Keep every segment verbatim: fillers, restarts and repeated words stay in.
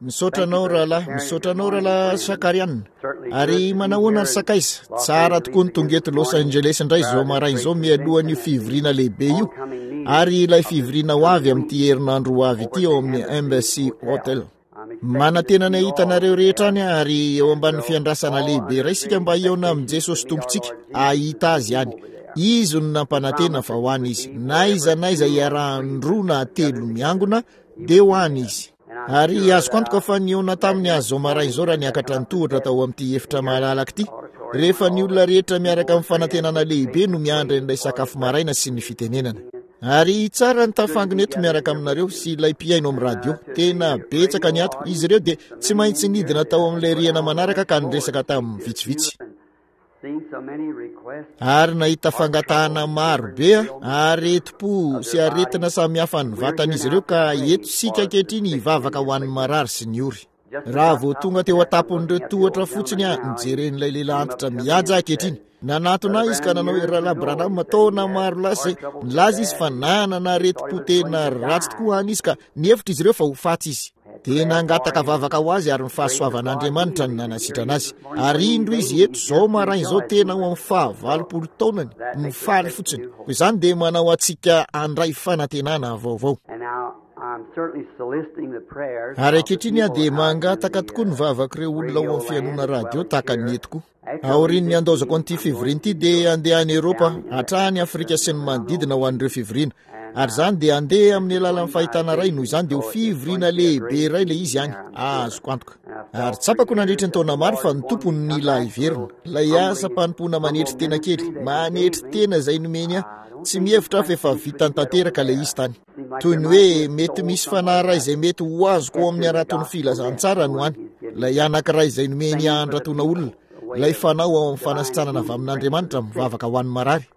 Misaotra anao rahalahy, misaotra anao rahalahy Shakarian. Ary manahoana ry sakaiza? Tsara tokoa ny tonga eto Los Angeles indray izao maraina izao mialohan'io fivoriana lehibe io, ary ilay fivoriana ho avy amin'ity herinandro ho avy ity ao amin'ny Embassy Hotel. Manantena ny hahita anareo rehetra any ary eo ambanin'ny fiandrasana lehibe iray isika mba hihaona amin'i Jesosy Tompontsika, hahita azy any. Izy no nampanantena fa ho any izy. Na aiza na aiza iarahan'ny roa na telo miangona dia ho any izy. Ary azoko antoka fa nihaona taminy azy izao maraina izao raha niakatra ny tohatra tao amin'ity efitra malalaka ity, rehefa ny olona rehetra miaraka amin'ny fanantenana lehibe no miandry an'ilay sakafo maraina sy ny fitenenana. Ary tsara ny tafangona eto miaraka aminareo sy ilay mpihaino amin'ny radio. Tena betsaka ny ato. Izy ireo dia tsy maintsy nidina tao amin'ilay rihana manaraka ka niresaka tamin'ny vitsivitsy. Ary nahita fangatahana maro be aretim-po sy aretina samihafa ny vatan'izy ireo, ka eto isika ankehitriny hivavaka ho an'ny marary sy ny ory. Raha vao tonga teo an-tampon'ireo tohatra fotsiny aho, nijeren'ilay lehilahy antitra mihaja ankehitriny. Nanatona ahy izy ka nanao hoe, Rahalahy Branham, taona maro lasa izay. Nilaza izy fa nanana aretim-po tena ratsy tokoa any izy, ka nihevitra izy ireo fa ho faty izy. Dia nangataka vavaka ho azy ary ny fahasoavan'Andriamanitra no nanasitrana azy. Ary indro izy eto izao maraina izao, tena ao amin'ny fahavalopolo taonany, mifaly fotsiny. Koa izany dia manao antsika handray fanantenana vaovao. Ary ankehitriny aho dia mangataka tokoa ny vavak'ireo olona ao amin'ny fihainoana radio tahaka ny eto koa. Aorian'ny handaozako an'ity fivoriana ity dia handeha any Eoropa, hatrany Afrika sy ny manodidina ho an'ireo fivoriana. Ary izany dia handeha amin'ny alalan'ny fahitana iray, noho izany dia ho fivoriana lehibe iray ilay izy any, azoko antoka. Ary tsapako nandritry ny taona maro fa ny Tompo no nila hiverina. Ilay asam-panompoana manetry tena kely, manetry tena izay nomeny ahy, tsy mihevitra aho fa efa vitany tanteraka ilay izy tany. Toy ny hoe mety misy fanahy iray izay mety ho azoko ao amin'ny haraton'ny filazantsara no any, ilay anankiray izay nomeny handratona olona, ilay fanao ao amin'ny fanasitranana avy amin'Andriamanitra mivavaka ho an'ny marary.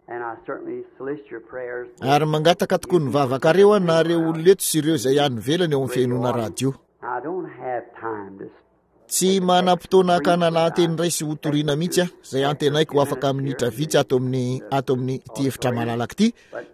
Ary mangataka tokoa ny vavakareo aho, na ireo olona eto sy ireo izay any ivelany ao amin'ny fihainoana radio. Tsy manam-potoana hakana lahateny iray sy hotoriana mihitsy aho, izay antenaiko ho afaka minitra vitsy ato amin'ny, ato amin'ny ity efitra malalaka ity,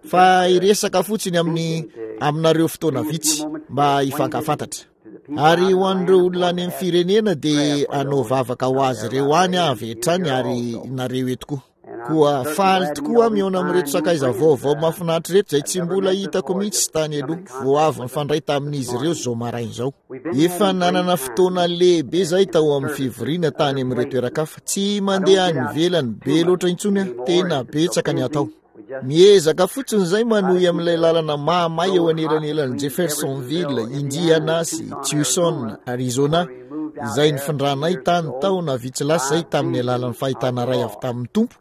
fa hiresaka fotsiny amin'ny, aminareo fotoana vitsy mba hifankafantatra. Ary ho an'ireo olona any amin'ny firenena dia hanao vavaka ho azy ireo any aho avy hatrany, ary nareo eto koa. Koa faly tokoa aho mihaona amin'ireto sakaiza vaovao mahafinaritra ireto izay tsy mbola hitako mihitsy tany aloha, vao avy nifandray tamin'izy ireo izao maraina izao. Efa nanana fotoana lehibe izahay tao amin'ny fivoriana tany amin'ireo toeran-kafa. Tsy mandeha any ivelany be loatra intsony aho, tena betsaka ny atao. Miezaka fotsiny izay manohy amin'ilay lalana mahamay eo anelanelan'i Jeffersonville, Indiana sy Tucson, Arizona, izay nifindranay tany taona vitsy lasa izay tamin'ny alalan'ny fahitana iray avy tamin'ny Tompo,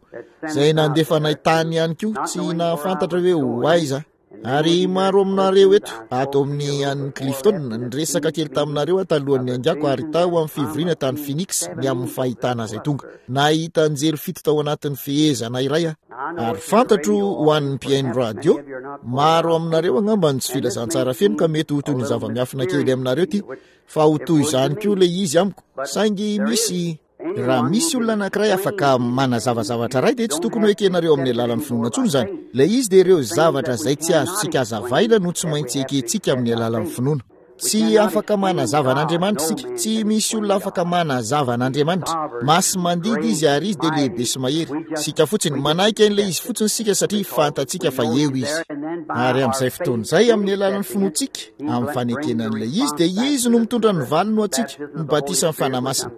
izay nandefa anay tany ihany koa, tsy nahafantatra hoe ho aiza. Ary maro aminareo eto, ato amin'ny an'i Clifton, niresaka kely taminareo aho talohan'ny niaingako ary tao amin'ny fivoriana tany Phoenix ny amin'ny fahitana izay tonga. Nahita anjely fito tao anatin'ny fehezana iray aho. Ary fantatro ho an'ny mpihaino radio, maro aminareo angamba ny tsy filazantsara feno ka mety ho toy ny zava-miafina kely aminareo ity, fa ho toy izany koa ilay izy amiko. Saingy misy... Raha misy olona anankiray afaka manazava zavatra iray dia tsy tokony ho ekenareo amin'ny alalan'ny finoana intsony izany. Ilay izy dia ireo zavatra izay tsy azontsika hazavaina no tsy maintsy ekentsika amin'ny alalan'ny finoana. Tsy afaka manazava an'Andriamanitra isika. Tsy misy olona afaka manazava an'Andriamanitra. Masi-mandidy izy ary izy dia lehibe sy mahery. Isika fotsiny, manaiky an'ilay izy fotsiny isika satria fantatsika fa eo izy. Ary amin'izay fotoana izay, amin'ny alalan'ny finoantsika, amin'ny fanekena an'ilay izy, dia izy no mitondra ny valiny ho antsika, ny batisan'ny Fanahy Masina.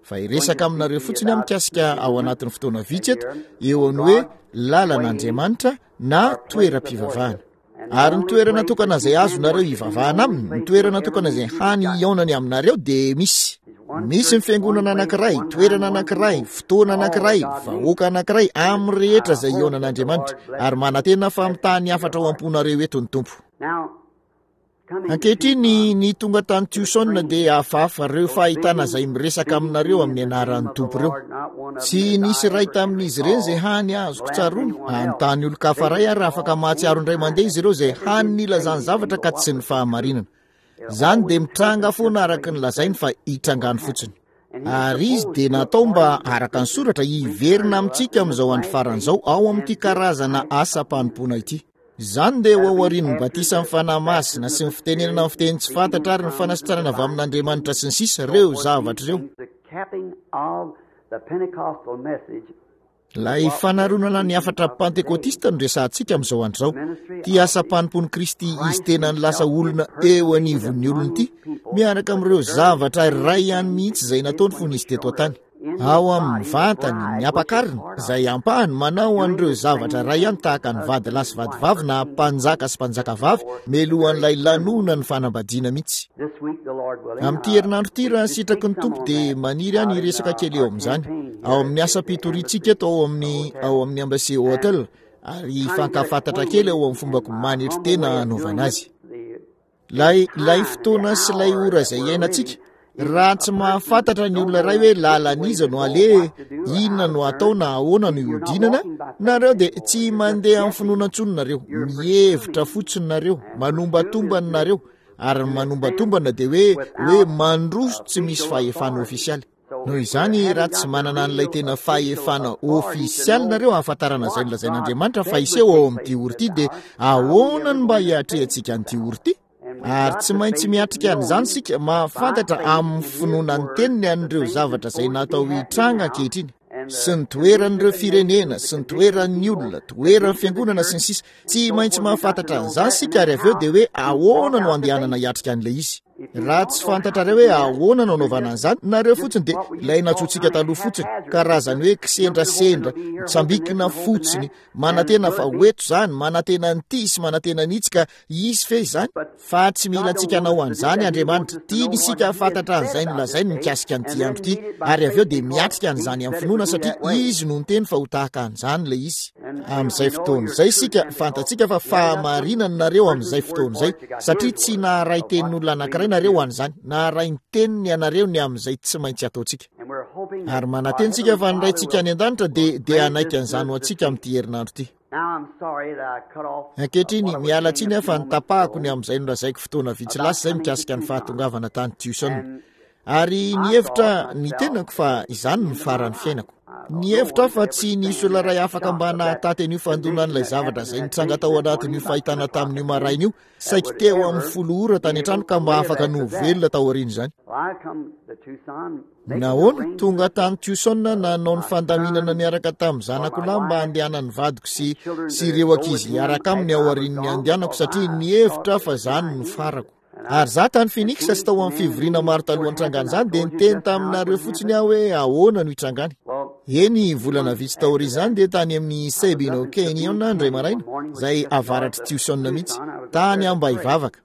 Fa hiresaka aminareo fotsiny aho mikasika ao anatin'ny fotoana vitsy eto, eo amin'ny hoe lalan'Andriamanitra na toeram-pivavahana. Ary ny toerana tokana izay azonareo hivavahana aminy, ny toerana tokana izay hany hihaonany aminareo dia misy. Misy ny fiangonana anankiray, toerana anankiray, fotoana anankiray, vahoaka anankiray, amin'ny rehetra izay hihaonan'Andriamanitra. Ary manantena fa mitaha ny hafatra ao am-ponareo eto ny Tompo. Ankehitriny, ny tonga tany Tucson dia hafahafa ireo fahitana izay miresaka aminareo amin'ny anaran'ny Tompo ireo. Tsy nisy iray tamin'izy ireny izay hany azoko tsaroana. Hanontany olon-kafa iray aho raha afaka mahatsiaro indray mandeha izy ireo izay hany nilazany zavatra ka tsy ny fahamarinana. Izany dia mitranga foana araka ny lazainy fa hitrangany fotsiny. Ary izy dia natao mba, araka ny soratra, hiverina amintsika amin'izao andro farany izao ao amin'ity karazana asam-panompoana ity. Izany dia ho aorian'ny batisan'ny Fanahy Masina sy ny fitenenana amin'ny fiteny tsy fantatra ary ny fanasitranana avy amin'Andriamanitra sy ny sisa, ireo zavatra ireo. Ilay fanaronana ny hafatra pantekotista no resahantsika amin'izao andro izao. Ity asam-panompoan'i Kristy izy tenany lasa olona eo anivon'ny olona ity, miaraka amin'ireo zavatra iray ihany mihitsy izay nataony fony izy teto an-tany. Ao amin'ny vatany, ny ampakariny, izay ampahany manao an'ireo zavatra iray ihany tahaka ny vady lahy sy vady vavy na mpanjaka sy mpanjaka vavy melohan'ilay lanona ny fanambadiana mihitsy. Amin'ity herinandro ity, raha sitraky ny Tompo, dia maniry aho ny hiresaka kely eo amin'izany ao amin'ny asam-pitoriantsika eto ao amin'ny ao amin'ny Embassy Hotel, ary hifankafantatra kely ao amin'ny fombako manetry tena hanaovana azy. Ilay, ilay fotoana sy ilay ora izay iainantsika, raha tsy mahafantatra ny olona iray hoe lalan'iza no aleha, inona no atao na ahoana no ihodinana, nareo dia tsy mandeha amin'ny finoana intsony nareo, mihevitra fotsiny nareo, manombatombana nareo, ary ny manombatombana dia hoe hoe mandroso tsy misy fahefana ofisialy. Noho izany, raha tsy manana an'ilay tena fahefana ofisialy nareo ahafantarana izay nolazain'Andriamanitra fa hiseho ao amin'ity ora ity, dia ahoana no mba hiatrehantsika an'ity ora ity? Ary tsy maintsy miatrika an'izany isika, mahafantatra amin'ny finoana ny teniny an'ireo zavatra izay natao hitranga ankehitriny, sy ny toeran'ireo firenena, sy ny toeran'ny olona, toeran'ny fiangonana sy ny sisa. Tsy maintsy mahafantatra an'izany isika, ary avy eo dia hoe ahoana no andehanana hiatrika an'ilay izy. Raha tsy fantatrareo hoe ahoana no anaovana an'izany, nareo fotsiny dia ilay nantsointsika taloha fotsiny, karazany hoe kisendrasendra, mitsambikina fotsiny, manantena fa ho eto izany, manantena an'ity sy manantena an'itsy, ka hisy fe izany. Fa tsy mila antsika hanao an'izany Andriamanitra. Tiany isika hahafantatra an'izay nolazainy mikasika an'ity andro ity, ary avy eo dia miatrika an'izany amin'ny finoana, satria Izy no niteny fa ho tahaka an'izany ilay izy. Amin'izay fotoana izay isika, fantatsika fa fahamarinana nareo amin'izay fotoana izay, satria tsy naharay tenin'olona anankiray nareo ho an'izany, naharay ny teniny ianareo ny amin'izay tsy maintsy ataontsika. Ary manantena isika fa ny Raintsika any an-danitra dia, dia hanaiky an'izany ho antsika amin'ity herinandro ity. Ankehitriny, miala tsiny aho fa nitapahako ny amin'izay nolazaiko fotoana vitsy lasa izay mikasika ny fahatongavana tany Tucson. Ary nihevitra ny tenako fa izany no faran'ny fiainako. Nihevitra aho fa tsy nisy olona iray afaka mba nahataty an'io fandonan'ilay zavatra izay nitranga tao anatin'io fahitana tamin'io maraina io, saiky teo amin'ny folo ora tany an-trano ka mba afaka no velona tao aorian'izany. Nahoana? Tonga tany Tucson nanao ny fandaminana niaraka tamin'ny zanako lahy mba handehanan'ny vadiko sy sy ireo ankizy hiaraka aminy ao aorian'ny handehanako, satria nihevitra aho fa izany no farako. Ary izaho tany Phoenix sy tao amin'ny fivoriana maro talohan'ny trangan'izany dia niteny taminareo fotsiny aho hoe ahoana no hitrangany. Eny, volana vitsy taorian'izany dia tany amin'ny Sabino Canyon indray maraina, izay avaratr'i Tucson mihitsy, tany aho mba hivavaka.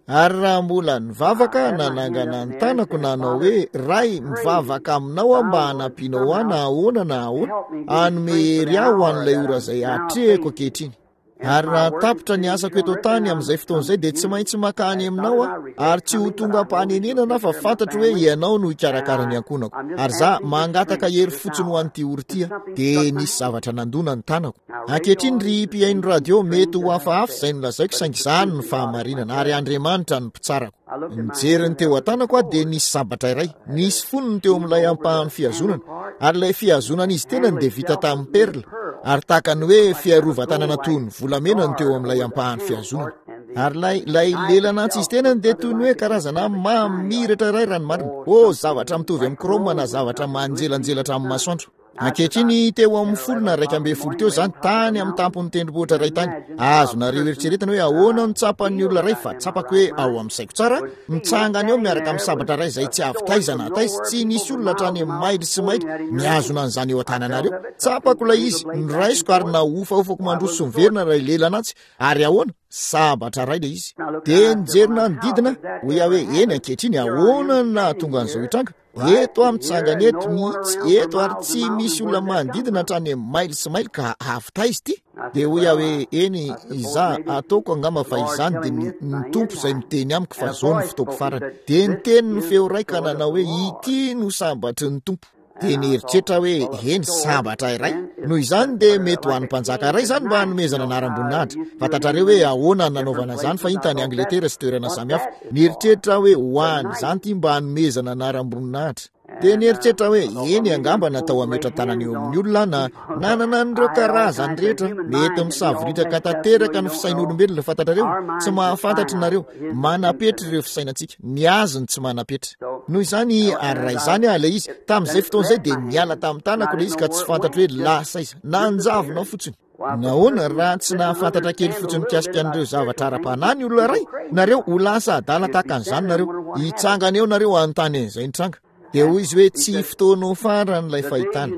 Ary raha mbola nivavaka, nanangana ny tanako nanao hoe, Ray, mivavaka aminao aho mba hanampianao ahy na ahoana na ahoana, hanome hery ahy ho an'ilay ora izay atrehiko ankehitriny. Ary raha tapitra ny asako eto an-tany amin'izay fotoana izay dia tsy maintsy makany aminao aho, ary tsy ho tonga am-panenenana aho fa fantatro hoe ianao no hikarakara ny ankohonako. Ary za mangataka hery fotsiny ho an'ity ora ity aho. Dia nisy zavatra nandona ny tanako. Ankehitriny ry mpihaino radio, mety ho hafahafa izay nolazaiko, saingy izany no fahamarinana, ary Andriamanitra no mpitsarako. Nijery ny teo an-tanako aho dia nisy sabatra iray, nisy fonony teo amin'ilay ampahan'ny fihazonana, ary ilay fihazonana izy tenany dia vita tamin'ny perla, ary tahaka ny hoe fiarovan-tanana toy ny volamena no teo amin'ilay ampahan'ny fihazonana. Ary ilay, ilay lelana antsy izy tenany dia toy ny hoe karazana mamiratra iray raha ny marina. Oh, zavatra mitovy amin'ny chrome na zavatra manjelanjelatra amin'ny masoandro. Ankehitriny, teo amin'ny folo na iraika ambin'ny folo teo izany, tany amin'ny tampon'ny tendrombohitra iray tany. Azonareo eritreretina hoe ahoana no tsapan'ny olona iray, fa tsapako hoe ao amin'ny saiko tsara, mitsangana eo miaraka amin'ny sabatra iray izay tsy avy taiza na taiza, tsy nisy olona hatrany amin'ny maily sy maily mihazona an'izany eo an-tananareo. Tsapako ilay izy, noraisiko ary nahofahofako mandroso sy miverina ilay lelana antsy, ary ahoana? Sabatra iray ilay izy. Dia nijery nanodidina, hoy aho hoe, eny ankehitriny, ahoana no nahatonga an'izao hitranga? Eto aho mitsangana eto mihitsy eto ary tsy misy olona manodidina hatrany amin'ny maily sy maily ka avy taiza ity? Dia hoy aho hoe, eny, izaho, ataoko angamba fa izany dia ny, ny Tompo izay miteny amiko fa izao no fotoako farany. Dia niteny ny feo iray ka nanao hoe, ity no sabatry ny Tompo. Dia nieritreritra aho hoe, eny, sabatra iray. Noho izany dia mety ho an'ny mpanjaka iray izany mba hanomezana anaram-boninahitra. Fantatrareo hoe ahoana no nanaovana izany fahiny tany Angletera sy toerana samihafa. Nieritreritra aho hoe ho an'izany ity mba hanomezana anaram-boninahitra. Dia nieritreritra hoe eny angamba natao hametra-tanana eo amin'ny olona na nanana an'ireo karazany rehetra. Mety misavoritaka tanteraka ny fisain'olombelona, fantatrareo, tsy mahafantatra nareo, manapetra ireo fisainantsika, ny azy ny tsy manapetra. Noho izany, ary raha izany aho ilay izy, tamin'izay fotoana izay dia niala tamin'ny tanako ilay izy ka tsy fantatro hoe lasa iza, nanjavona fotsiny. Nahoana raha tsy nahafantatra kely fotsiny mikasika an'ireo zavatra ara-panahy ny olona iray, nareo ho lasa adala tahaka an'izany nareo, hitsangana eo nareo hanontany an'izay nitranga. Dia hoy izy hoe tsy fotoanao farany ilay fahitana.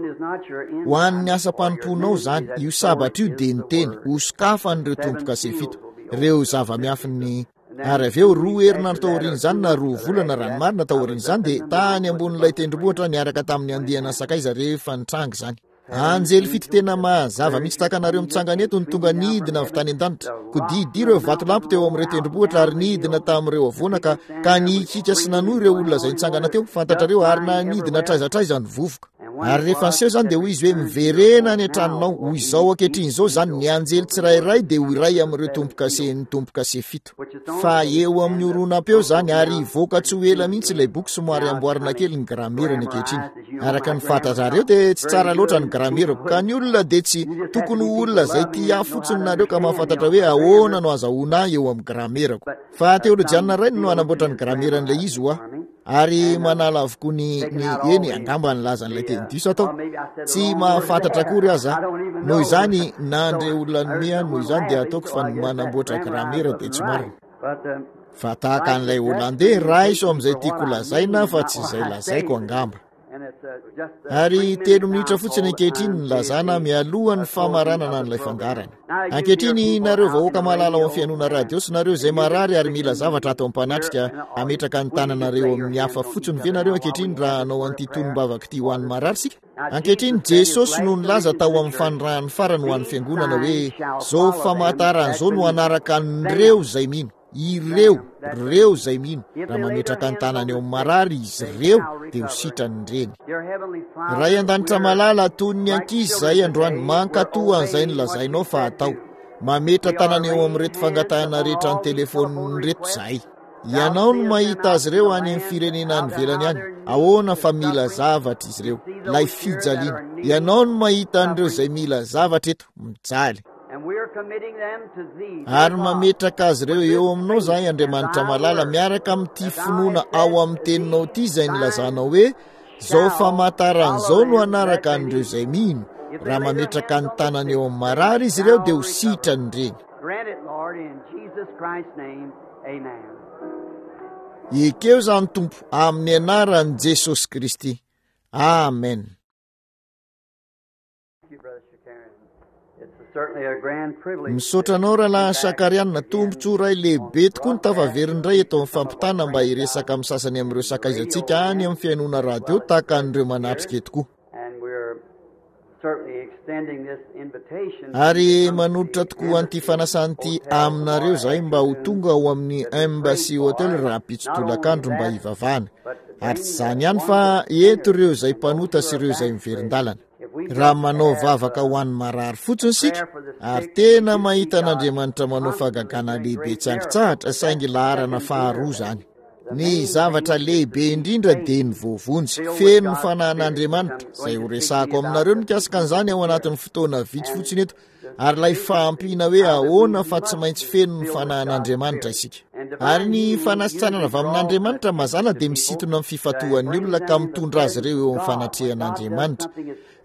Ho an'ny asam-panompoanao izany, io sabatra io dia niteny, ho sokafan'ireo tombo-kase fito, ireo zava-miafin'ny. Ary avy eo roa herinandro tao aorian'izany na roa volana raha ny marina tao aorian'izany dia tany ambonin'ilay tendrombohitra niaraka tamin'ny andiana sakaiza rehefa nitranga izany. Anjely fito tena mazava mihitsy tahaka anareo mitsangana eto no tonga nidina avy tany an-danitra. Kodidy ireo vatolampy teo amin'ireo tendrombohitra ary nidina tamin'ireo havoana ka, ka nihikika sy nanohy ireo olona izay nitsangana teo, fantatrareo, ary nanidina hatraiza hatraiza ny vovoka. Ary rehefa niseho izany dia hoy izy hoe miverena any an-tranonao, ho izao ankehitriny izao izany ny anjely tsirairay dia ho iray amin'ireo tombo-kasen'ny tombo-kase fito. Fa eo amin'ny horonam-peo izany ary hivoaka tsy ho ela mihitsy ilay boky somary amboarina kely ny gramerany ankehitriny. Araka ny fantatrareo dia tsy tsara loatra ny gramerako ka ny olona dia tsy tokony ho olona izay tia ahy fotsiny nareo ka mahafantatra hoe ahoana no azahoana ahy eo amin'ny gramerako. Fa teolojianina iray no hanamboatra ny grameran'ilay izy ho ahy. Ary manala avokoa ny, ny eny angamba nilaza an'ilay teny diso atao. Tsy mahafantatra akory aza. Noho izany nandre olona nomea, noho izany dia ataoko fa ny manamboatra gramera dia tsy marina. Fa tahaka an'ilay Hollandais, raiso amin'izay tiako lazaina fa tsy izay lazaiko angamba. Ary telo minitra fotsiny ankehitriny ny lazana mialoha ny famaranana an'ilay fandaharana. Ankehitriny nareo vahoaka malala ao amin'ny fihainoana radio sy nareo izay marary ary mila zavatra ato am-panatrika, hametraka ny tananareo amin'ny hafa fotsiny ve nareo ankehitriny raha hanao an'ity tonom-bavaka ity ho an'ny marary sika? Ankehitriny Jesosy no nilaza tao amin'ny fanirahany farany ho an'ny fiangonana hoe zao famantarana izao no hanaraka an'ireo izay mino. Ireo, ireo izay mino, raha mametraka ny tanany eo amin'ny marary izy ireo dia ho sitrany ireny. Ray an-danitra malala, toy ny ankizy izay androany, mankatoa an'izay nolazainao fa atao. Mametra tanana eo amin'ireto fangatahana rehetra ny telefaonina ireto izahay. Ianao no mahita azy ireo any amin'ny firenena any ivelany any. Ahoana fa mila zavatra izy ireo, ilay fijaliana. Ianao no mahita an'ireo izay mila zavatra eto, mijaly. Ary mametraka azy ireo eo aminao izahay, Andriamanitra malala, miaraka amin'ity finoana ao amin'ny teninao ity izay nilazanao hoe zao famantarana izao no hanaraka an'ireo izay mino. Raha mametraka ny tanany eo amin'ny marary izy ireo dia ho sitrany ireny. Ekeo izany Tompo amin'ny anaran'i Jesosy Kristy. Amen. Misaotra anao rahalahy Shakarian, tombontsoa iray lehibe tokoa ny tafaverina indray eto amin'ny fampitana mba hiresaka amin'ny sasany amin'ireo sakaizantsika any amin'ny fihainoana radio tahaka an'ireo manatrika eto koa. Ary manolotra tokoa an'ity fanasana ity aminareo izahay mba ho tonga ao amin'ny Embassy Hotel rahampitso tolakandro mba hivavahana. Ary tsy izany ihany fa eto ireo izay mpanota sy ireo izay miverin-dalana. Raha manao vavaka ho an'ny marary fotsiny isika ary tena mahita an'Andriamanitra manao fahagagana lehibe tsy ankitsahatra, saingy laharana faharoa izany. Ny zavatra lehibe indrindra dia ny voavonjy, feno ny fanahin'Andriamanitra, izay ho resahako aminareo mikasika an'izany ao anatin'ny fotoana vitsy fotsiny eto, ary ilay fahampiana hoe ahoana fa tsy maintsy feno ny fanahin'Andriamanitra isika. Ary ny fanasitranana avy amin'Andriamanitra mazàna dia misintona amin'ny fifantohan'ny olona ka mitondra azy ireo eo amin'ny fanatrehan'Andriamanitra.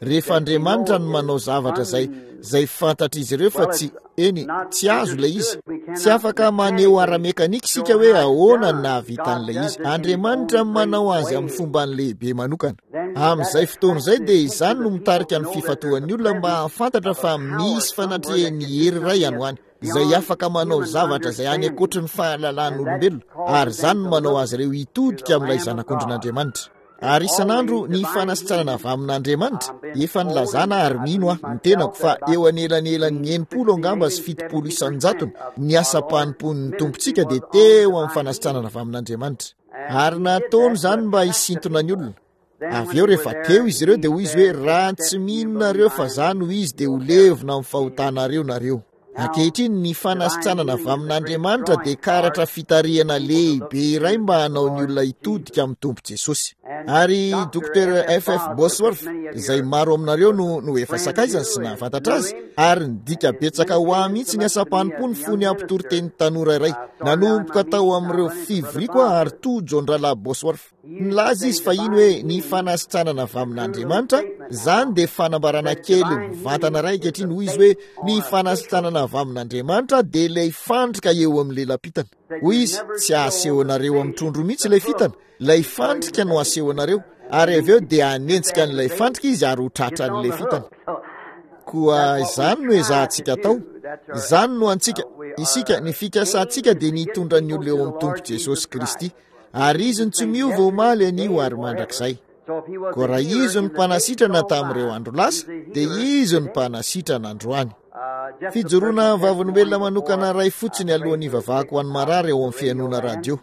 Rehefa Andriamanitra no manao zavatra izay, izay fantatr'izy ireo fa tsy, eny, tsy azo ilay izy. Tsy afaka maneho ara-mekanika isika hoe ahoana no nahavitan'ilay izy. Andriamanitra no manao azy amin'ny fombany lehibe manokana. Amin'izay fotoana izay dia izany no mitarika ny fifantohan'ny olona mba hahafantatra fa misy fanatrehan'ny hery iray any ho any, izay afaka manao zavatra izay any ankoatry ny fahalalan'olombelona, ary izany no manao azy ireo hitodika amin'ilay Zanak'ondrin'Andriamanitra. Ary isan'andro ny fanasitranana avy amin'Andriamanitra, efa nilazana ary mino aho ny tenako fa eo anelanelan'ny enimpolo angamba sy fitopolo isan-jatony ny asam-panompoan'ny Tompontsika dia teo amin'ny fanasitranana avy amin'Andriamanitra. Ary nataony izany mba hisintona ny olona. Avy eo rehefa teo izy ireo dia hoy izy hoe raha tsy mino nareo fa za no izy dia ho levona amin'ny fahotanareo nareo. Ankehitriny ny fanasitranana avy amin'Andriamanitra dia karatra fitarihana lehibe iray mba hanao ny olona hitodika amin'ny Tompo Jesosy. Ary Docteur F F Bosworth, izay maro aminareo no, no efa sakaizany sy nahafantatra azy, ary nidika betsaka ho ahy mihitsy ny asam-panompony fony ampitory teny tanora iray. Nanomboka tao amin'ireo fivoriako aho ary tojo an-drahalahy Bosworth. Nilaza izy fa iny hoe ny fanasitranana avy amin'Andriamanitra, izany dia fanambarana kely mivantana iray ankehitriny. Hoy izy hoe ny fanasitranana avy amin'Andriamanitra dia ilay fandrika eo amin'ny lelam-pitana. Hoy izy, tsy asehonareo amin'ny trondro mihitsy ilay fitana, ilay fandrika no asehonareo, ary avy eo dia hanenjika an'ilay fandrika izy ary ho tratran'ilay fitana. Koa izany no ezahantsika atao, izany no antsika, isika, ny fikasantsika dia ny hitondra ny olona eo amin'ny Tompo Jesosy Kristy, ary izy no tsy miova omaly anio ary mandrakizay. Koa raha izy no mpanasitrana tamin'ireo andro lasa, dia izy no mpanasitrana androany. Fijoroana vavolombelona manokana iray fotsiny alohan'ny hivavahako ho an'ny marary ao amin'ny fihainoana radio.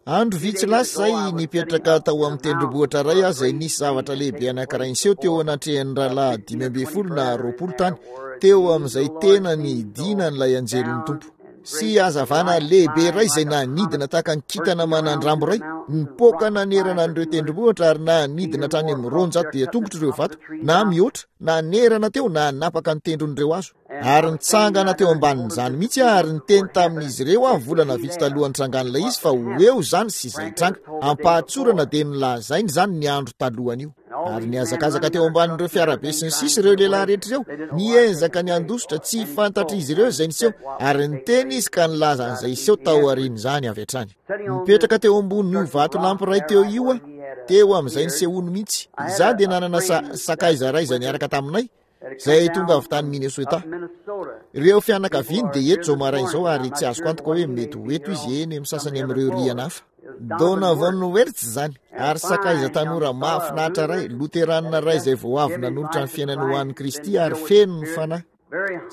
Andro vitsy lasa izay nipetraka tao amin'ny tendrombohitra iray aho izay nisy zavatra lehibe anankiray niseho teo anatrehan'ny rahalahy dimy ambin'ny folo na roapolo tany, teo amin'izay tena nidinan'ilay anjelin'ny Tompo. Sy hazavana lehibe iray izay nanidina tahaka ny kintana manandrambo iray, nipoaka nanerana an'ireo tendrombohitra ary nanidina hatrany amin'ny roanjato dia tongotra ireo vato, na mihoatra, nanerana teo, nanapaka ny tendron'ireo hazo. Ary nitsangana teo ambanin'izany mihitsy aho ary niteny tamin'izy ireo aho volana vitsy talohan'ny trangan'ilay izy fa ho eo izany sy izay tranga. Ampahatsorana dia nolazainy izany ny andro talohan'io. Ary nihazakazaka teo ambanin'ireo fiarabe sy ny sisa ireo lehilahy rehetra ireo, niezaka ny handositra, tsy fantatr'izy ireo izay niseho, ary niteny izy ka nilaza an'izay hiseho tao aorian'izany avy hatrany. Nipetraka teo ambonin'io vatolampy iray teo io aho, teo amin'izay nisehoany mihitsy. Izaho dia nanana sa-, sakaiza iray izay niaraka taminay, izay tonga avy tany Minnesota. Ireo fianakaviany dia eto izao maraina izao ary tsy azoko antoka hoe mety ho eto izy eny amin'ny sasany amin'ireo rihana hafa. Donovan Wertz izany, ary sakaiza tanora mahafinaritra iray, loteranina iray izay vao avy nanolotra ny fiainany ho an'i Kristy ary feno ny fanahy.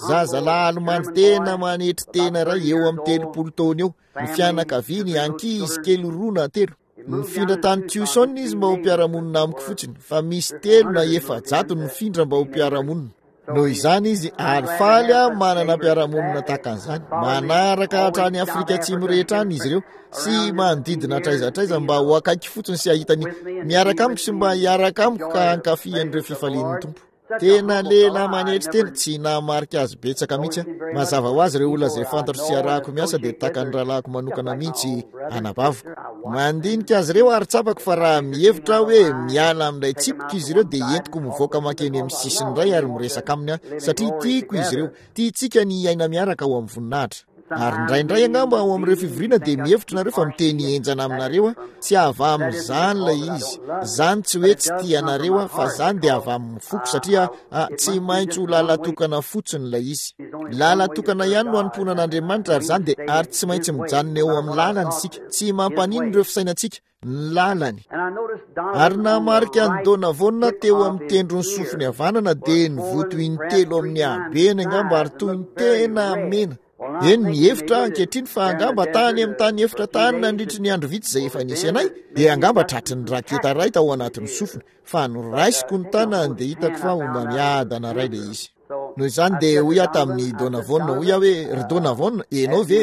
Zazalahy alomandy tena manetry tena iray eo amin'ny telopolo taona eo, ny fianakaviany ankizy kely roa na telo. Nifindra tany Tucson izy mba ho mpiara-monina amiko fotsiny, fa misy telo na efajato nifindra mba ho mpiara-monina. Noho izany izy ary faly aho manana mpiara-monina tahaka an'izany. Manaraka hatrany Afrika Atsimo rehetra any izy ireo sy manodidina hatraiza hatraiza mba ho akaiky fotsiny sy hahita ny miaraka amiko sy mba hiaraka amiko ka hankafy an'ireo fifalian'ny Tompo. Tena lehilahy manetry tena, tsy nahamarika azy betsaka mihitsy aho. Mazava ho azy ireo olona izay fantatro sy arahako miasa dia tahaka ny rahalahiko manokana mihitsy anabaviko. Mandinika azy ireo ary tsapako fa raha mihevitra aho hoe miala amin'ilay tsipika izy ireo dia entiko mivoaka mankeny amin'ny sisiny iray ary miresaka aminy aho, satria tiako izy ireo. Tiantsika ny hiaina miaraka ao amin'ny voninahitra. Ary indraindray angamba ao amin'ireo fivoriana dia mihevitra nareo fa miteny henjana aminareo aho. Tsy avy amin'izany ilay izy. Izany tsy hoe tsy tia anareo aho, fa izany dia avy amin'ny foko, satria ah, tsy maintsy ho lalatokana fotsiny ilay izy. Lalatokana ihany no hanompoana an'Andriamanitra, ary izany dia ary tsy maintsy mijanona eo amin'ny lalany isika. Tsy mampaninona ireo fisainantsika, ny lalany. Ary nahamarika an'i Donovan teo amin'ny tendron'ny sofiny havanana dia nivoto intelo amin'ny habeny angamba ary toy ny tena mena. Eny, nihevitra aho ankehitriny fa angamba tany amin'ny tany efitra tany nandritry ny andro vitsy izay efa nisy anay, dia angamba tratry ny raketa iray tao anatin'ny sofiny, fa noraisiko ny tanany dia hitako fa homamiadana iray ilay izy. Noho izany dia hoy aho tamin'i Donovan, hoy aho hoe, ry Donovan, ianao ve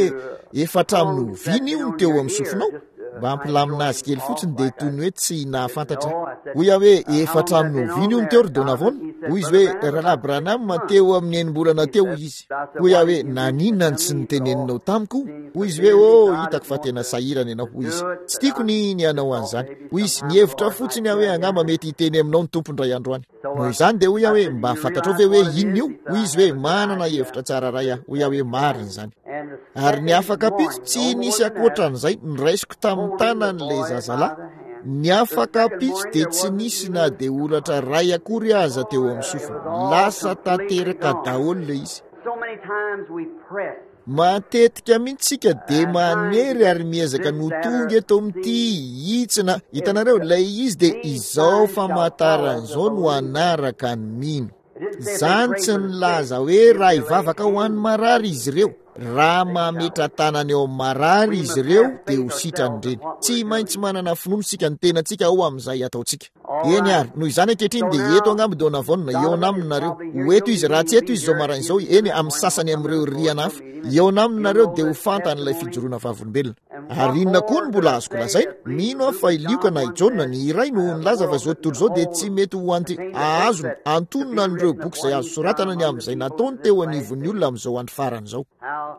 efa hatramin'ny oviana io no teo amin'ny sofinao? Mba hampilamina azy kely fotsiny dia toy ny hoe tsy nahafantatra. Hoy aho hoe, efa hatramin'ny oviana io no teo ry Donovan? Hoy izy hoe, Rahalahy Branham, teo amin'ny enim-bolana teo hoy izy. Hoy aho hoe, naninona no tsy niteneninao tamiko? Hoy izy hoe, oh, hitako fa tena sahirana ianao, hoy izy. Tsy tiako ny ny hanao an'izany. Hoy izy, nihevitra fotsiny aho hoe angamba mety hiteny aminao ny Tompo indray andro any. Noho izany dia hoy aho hoe, mba fantatrao ve hoe inona io? Hoy izy hoe, manana hevitra tsara iray aho. Hoy aho hoe, marina izany. Ary ny afak'ampitso, tsy nisy ankoatran'izay, noraisiko tamin'ny tanan'ilay zazalahy. Ny afak'ampitso dia tsy nisy na dia holatra iray akory aza teo amin'ny sofiny. Lasa tanteraka daholo ilay izy. Matetika mihitsy isika dia manery ary miezaka ny ho tonga eto amin'ity hitsina. Hitanareo, ilay izy dia izao famantarana izao no hanaraka ny mino. Izany tsy nilaza hoe raha hivavaka ho an'ny marary izy ireo. Raha mametra-tanana eo amin'ny marary izy ireo dia ho sitrany ireny. Tsy maintsy manana finoana isika ny tenantsika ao amin'izay ataontsika. Eny ary, noho izany ankehitriny dia eto angamba Donavon eo aminareo. Ho eto izy, raha tsy eto izy izao maraina izao, eny amin'ny sasany amin'ireo rihana hafa. Eo aminareo dia ho fantany ilay fijoroana vavolombelona. Ary inona koa no mbola azoko lazaina? Mino aho fa i Lioka na i Jaona ny iray no nilaza fa izao tontolo izao dia tsy mety ho anty ahazony antonona an'ireo boky izay azo soratana ny amin'izay nataony teo anivon'ny olona amin'izao andro farany izao.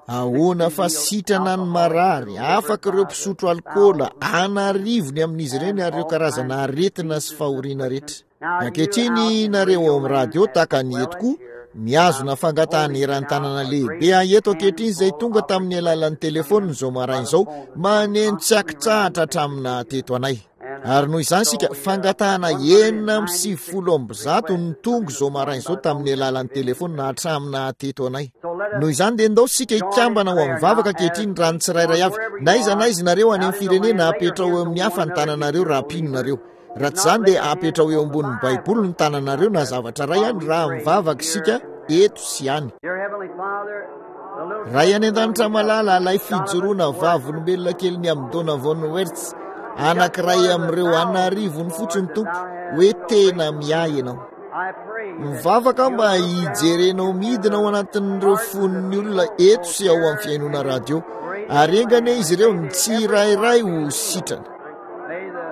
Ahoana fa sitrana ny marary, afaka ireo mpisotro alkaola anarivony amin'izy ireny ary ireo karazana aretina sy fahoriana rehetra. Ankehitriny nareo ao amin'ny radio tahaka ny eto koa, mihazona fangatahana eran-tanana lehibe aho eto ankehitriny izay tonga tamin'ny alalan'ny telefônina izao maraina izao, maneno tsy ankitsahatra hatramin'ny teto anay. Ary noho izany isika fangatahana enina amby sivifolo amby zato no tonga izao maraina izao tamin'ny alalan'ny telefônina hatramin'ny teto anay. Noho izany dia ndao isika hikambana ho amin'ny vavaka ankehitriny raha ny tsirairay avy. Na aiza na aiza nareo any amin'ny firenena, apetrao eo amin'ny hafa ny tananareo raha mpino nareo. Raha tsy izany dia apetrao eo ambonin'ny Baiboly ny tananareo na zavatra iray any raha mivavaka isika eto sy any. Ray any an-danitra malala, ilay fijoroana vavolombelona kely ny amin'ny Donavon Wertz, anankiray amin'ireo anarivony fotsiny Tompo, hoe tena miahy ianao. Mivavaka mba hijerenao midina ao anatin'ireo fon'ny olona eto sy ao amin'ny fihainoana radio, ary enga anie izy ireo ny tsirairay ho sitrana. May the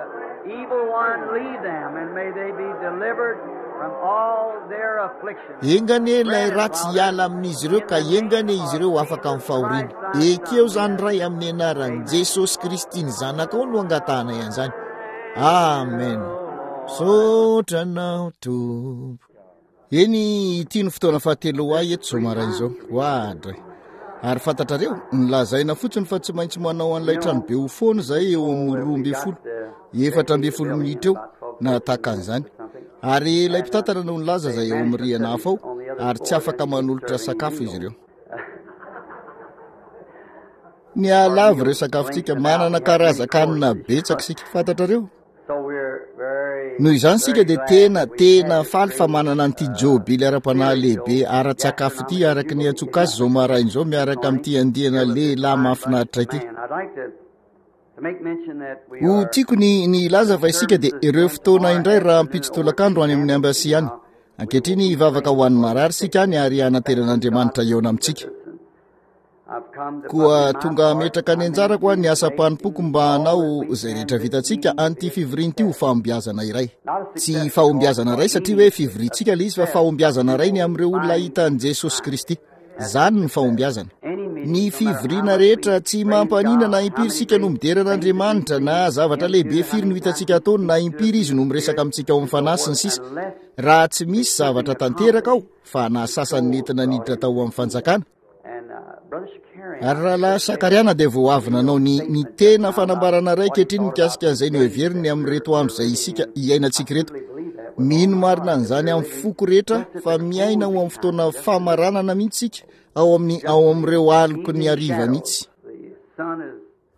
evil one leave them, and may they be delivered from all their afflictions. Enga anie ilay ratsy hiala amin'izy ireo ka enga anie izy ireo afaka amin'ny fahoriana. Ekeo izany Ray amin'ny anaran'i Jesosy Kristy ny zanakao no angatahanay an'izany. Amen. Misaotra anao Tompo. Eny, ity no fotoana fahatelo ho ahy eto izao maraina izao. Oadray. Ary fantatrareo, nylazaina fotsiny fa tsy maintsy manao an'ilay tranobe ho foana izay eo amin'ny roa ambin'ny folo, efatra ambin'ny folo minitra eo na tahaka an'izany. Ary ilay mpitantana no nilaza izay eo amin'ny rihana hafa ao, ary tsy afaka manolotra sakafo izy ireo. Ny alavy ireo sakafontsika, manana karazan-kanina betsaka isika, fantatrareo. Noho izany isika dia tena tena faly fa manana an'ity jobily ara-panahy lehibe ara-tsakafo ity araka ny antsoka azy izao maraina izao miaraka amin'ity andiana lehilahy mahafinaritra ity. Ho tiako ny ny hilaza fa isika dia ireo fotoana indray raha ampitso tolakandro any amin'ny embassy any. Ankehitriny hivavaka ho an'ny marary isika any ary hanantenan'Andriamanitra eo amintsika. Koa tonga hametraka ny anjarako aho ny asam-panompoko mba hanao izay rehetra vitantsika an'ity fivoriana ity ho fahombiazana iray. Tsy fahombiazana iray satria hoe fivoriantsika ilay izy fa fahombiazana iray ny amin'ireo olona hitan'i Jesosy Kristy. Izany ny fahombiazana. Ny fivoriana rehetra tsy mampanina na impiry isika no midera an'Andriamanitra na zavatra lehibe firy no hitantsika ataony na impiry izy no miresaka amintsika ao amin'ny fanahy sy ny sisa. Raha tsy misy zavatra tanteraka ao fa na sasany nentina niditra tao amin'ny fanjakana. Ary rahalahy Sakariana dia vao avy nanao ny ny tena fanambarana iray ankehitriny mikasika an'izay noheveriny amin'ireto andro izay isika iainantsika ireto. Mino marina an'izany amin'ny foko rehetra fa miaina ho amin'ny fotoana famaranana mihitsy isika ao amin'ny ao amin'ireo aloky ny hariva mihitsy.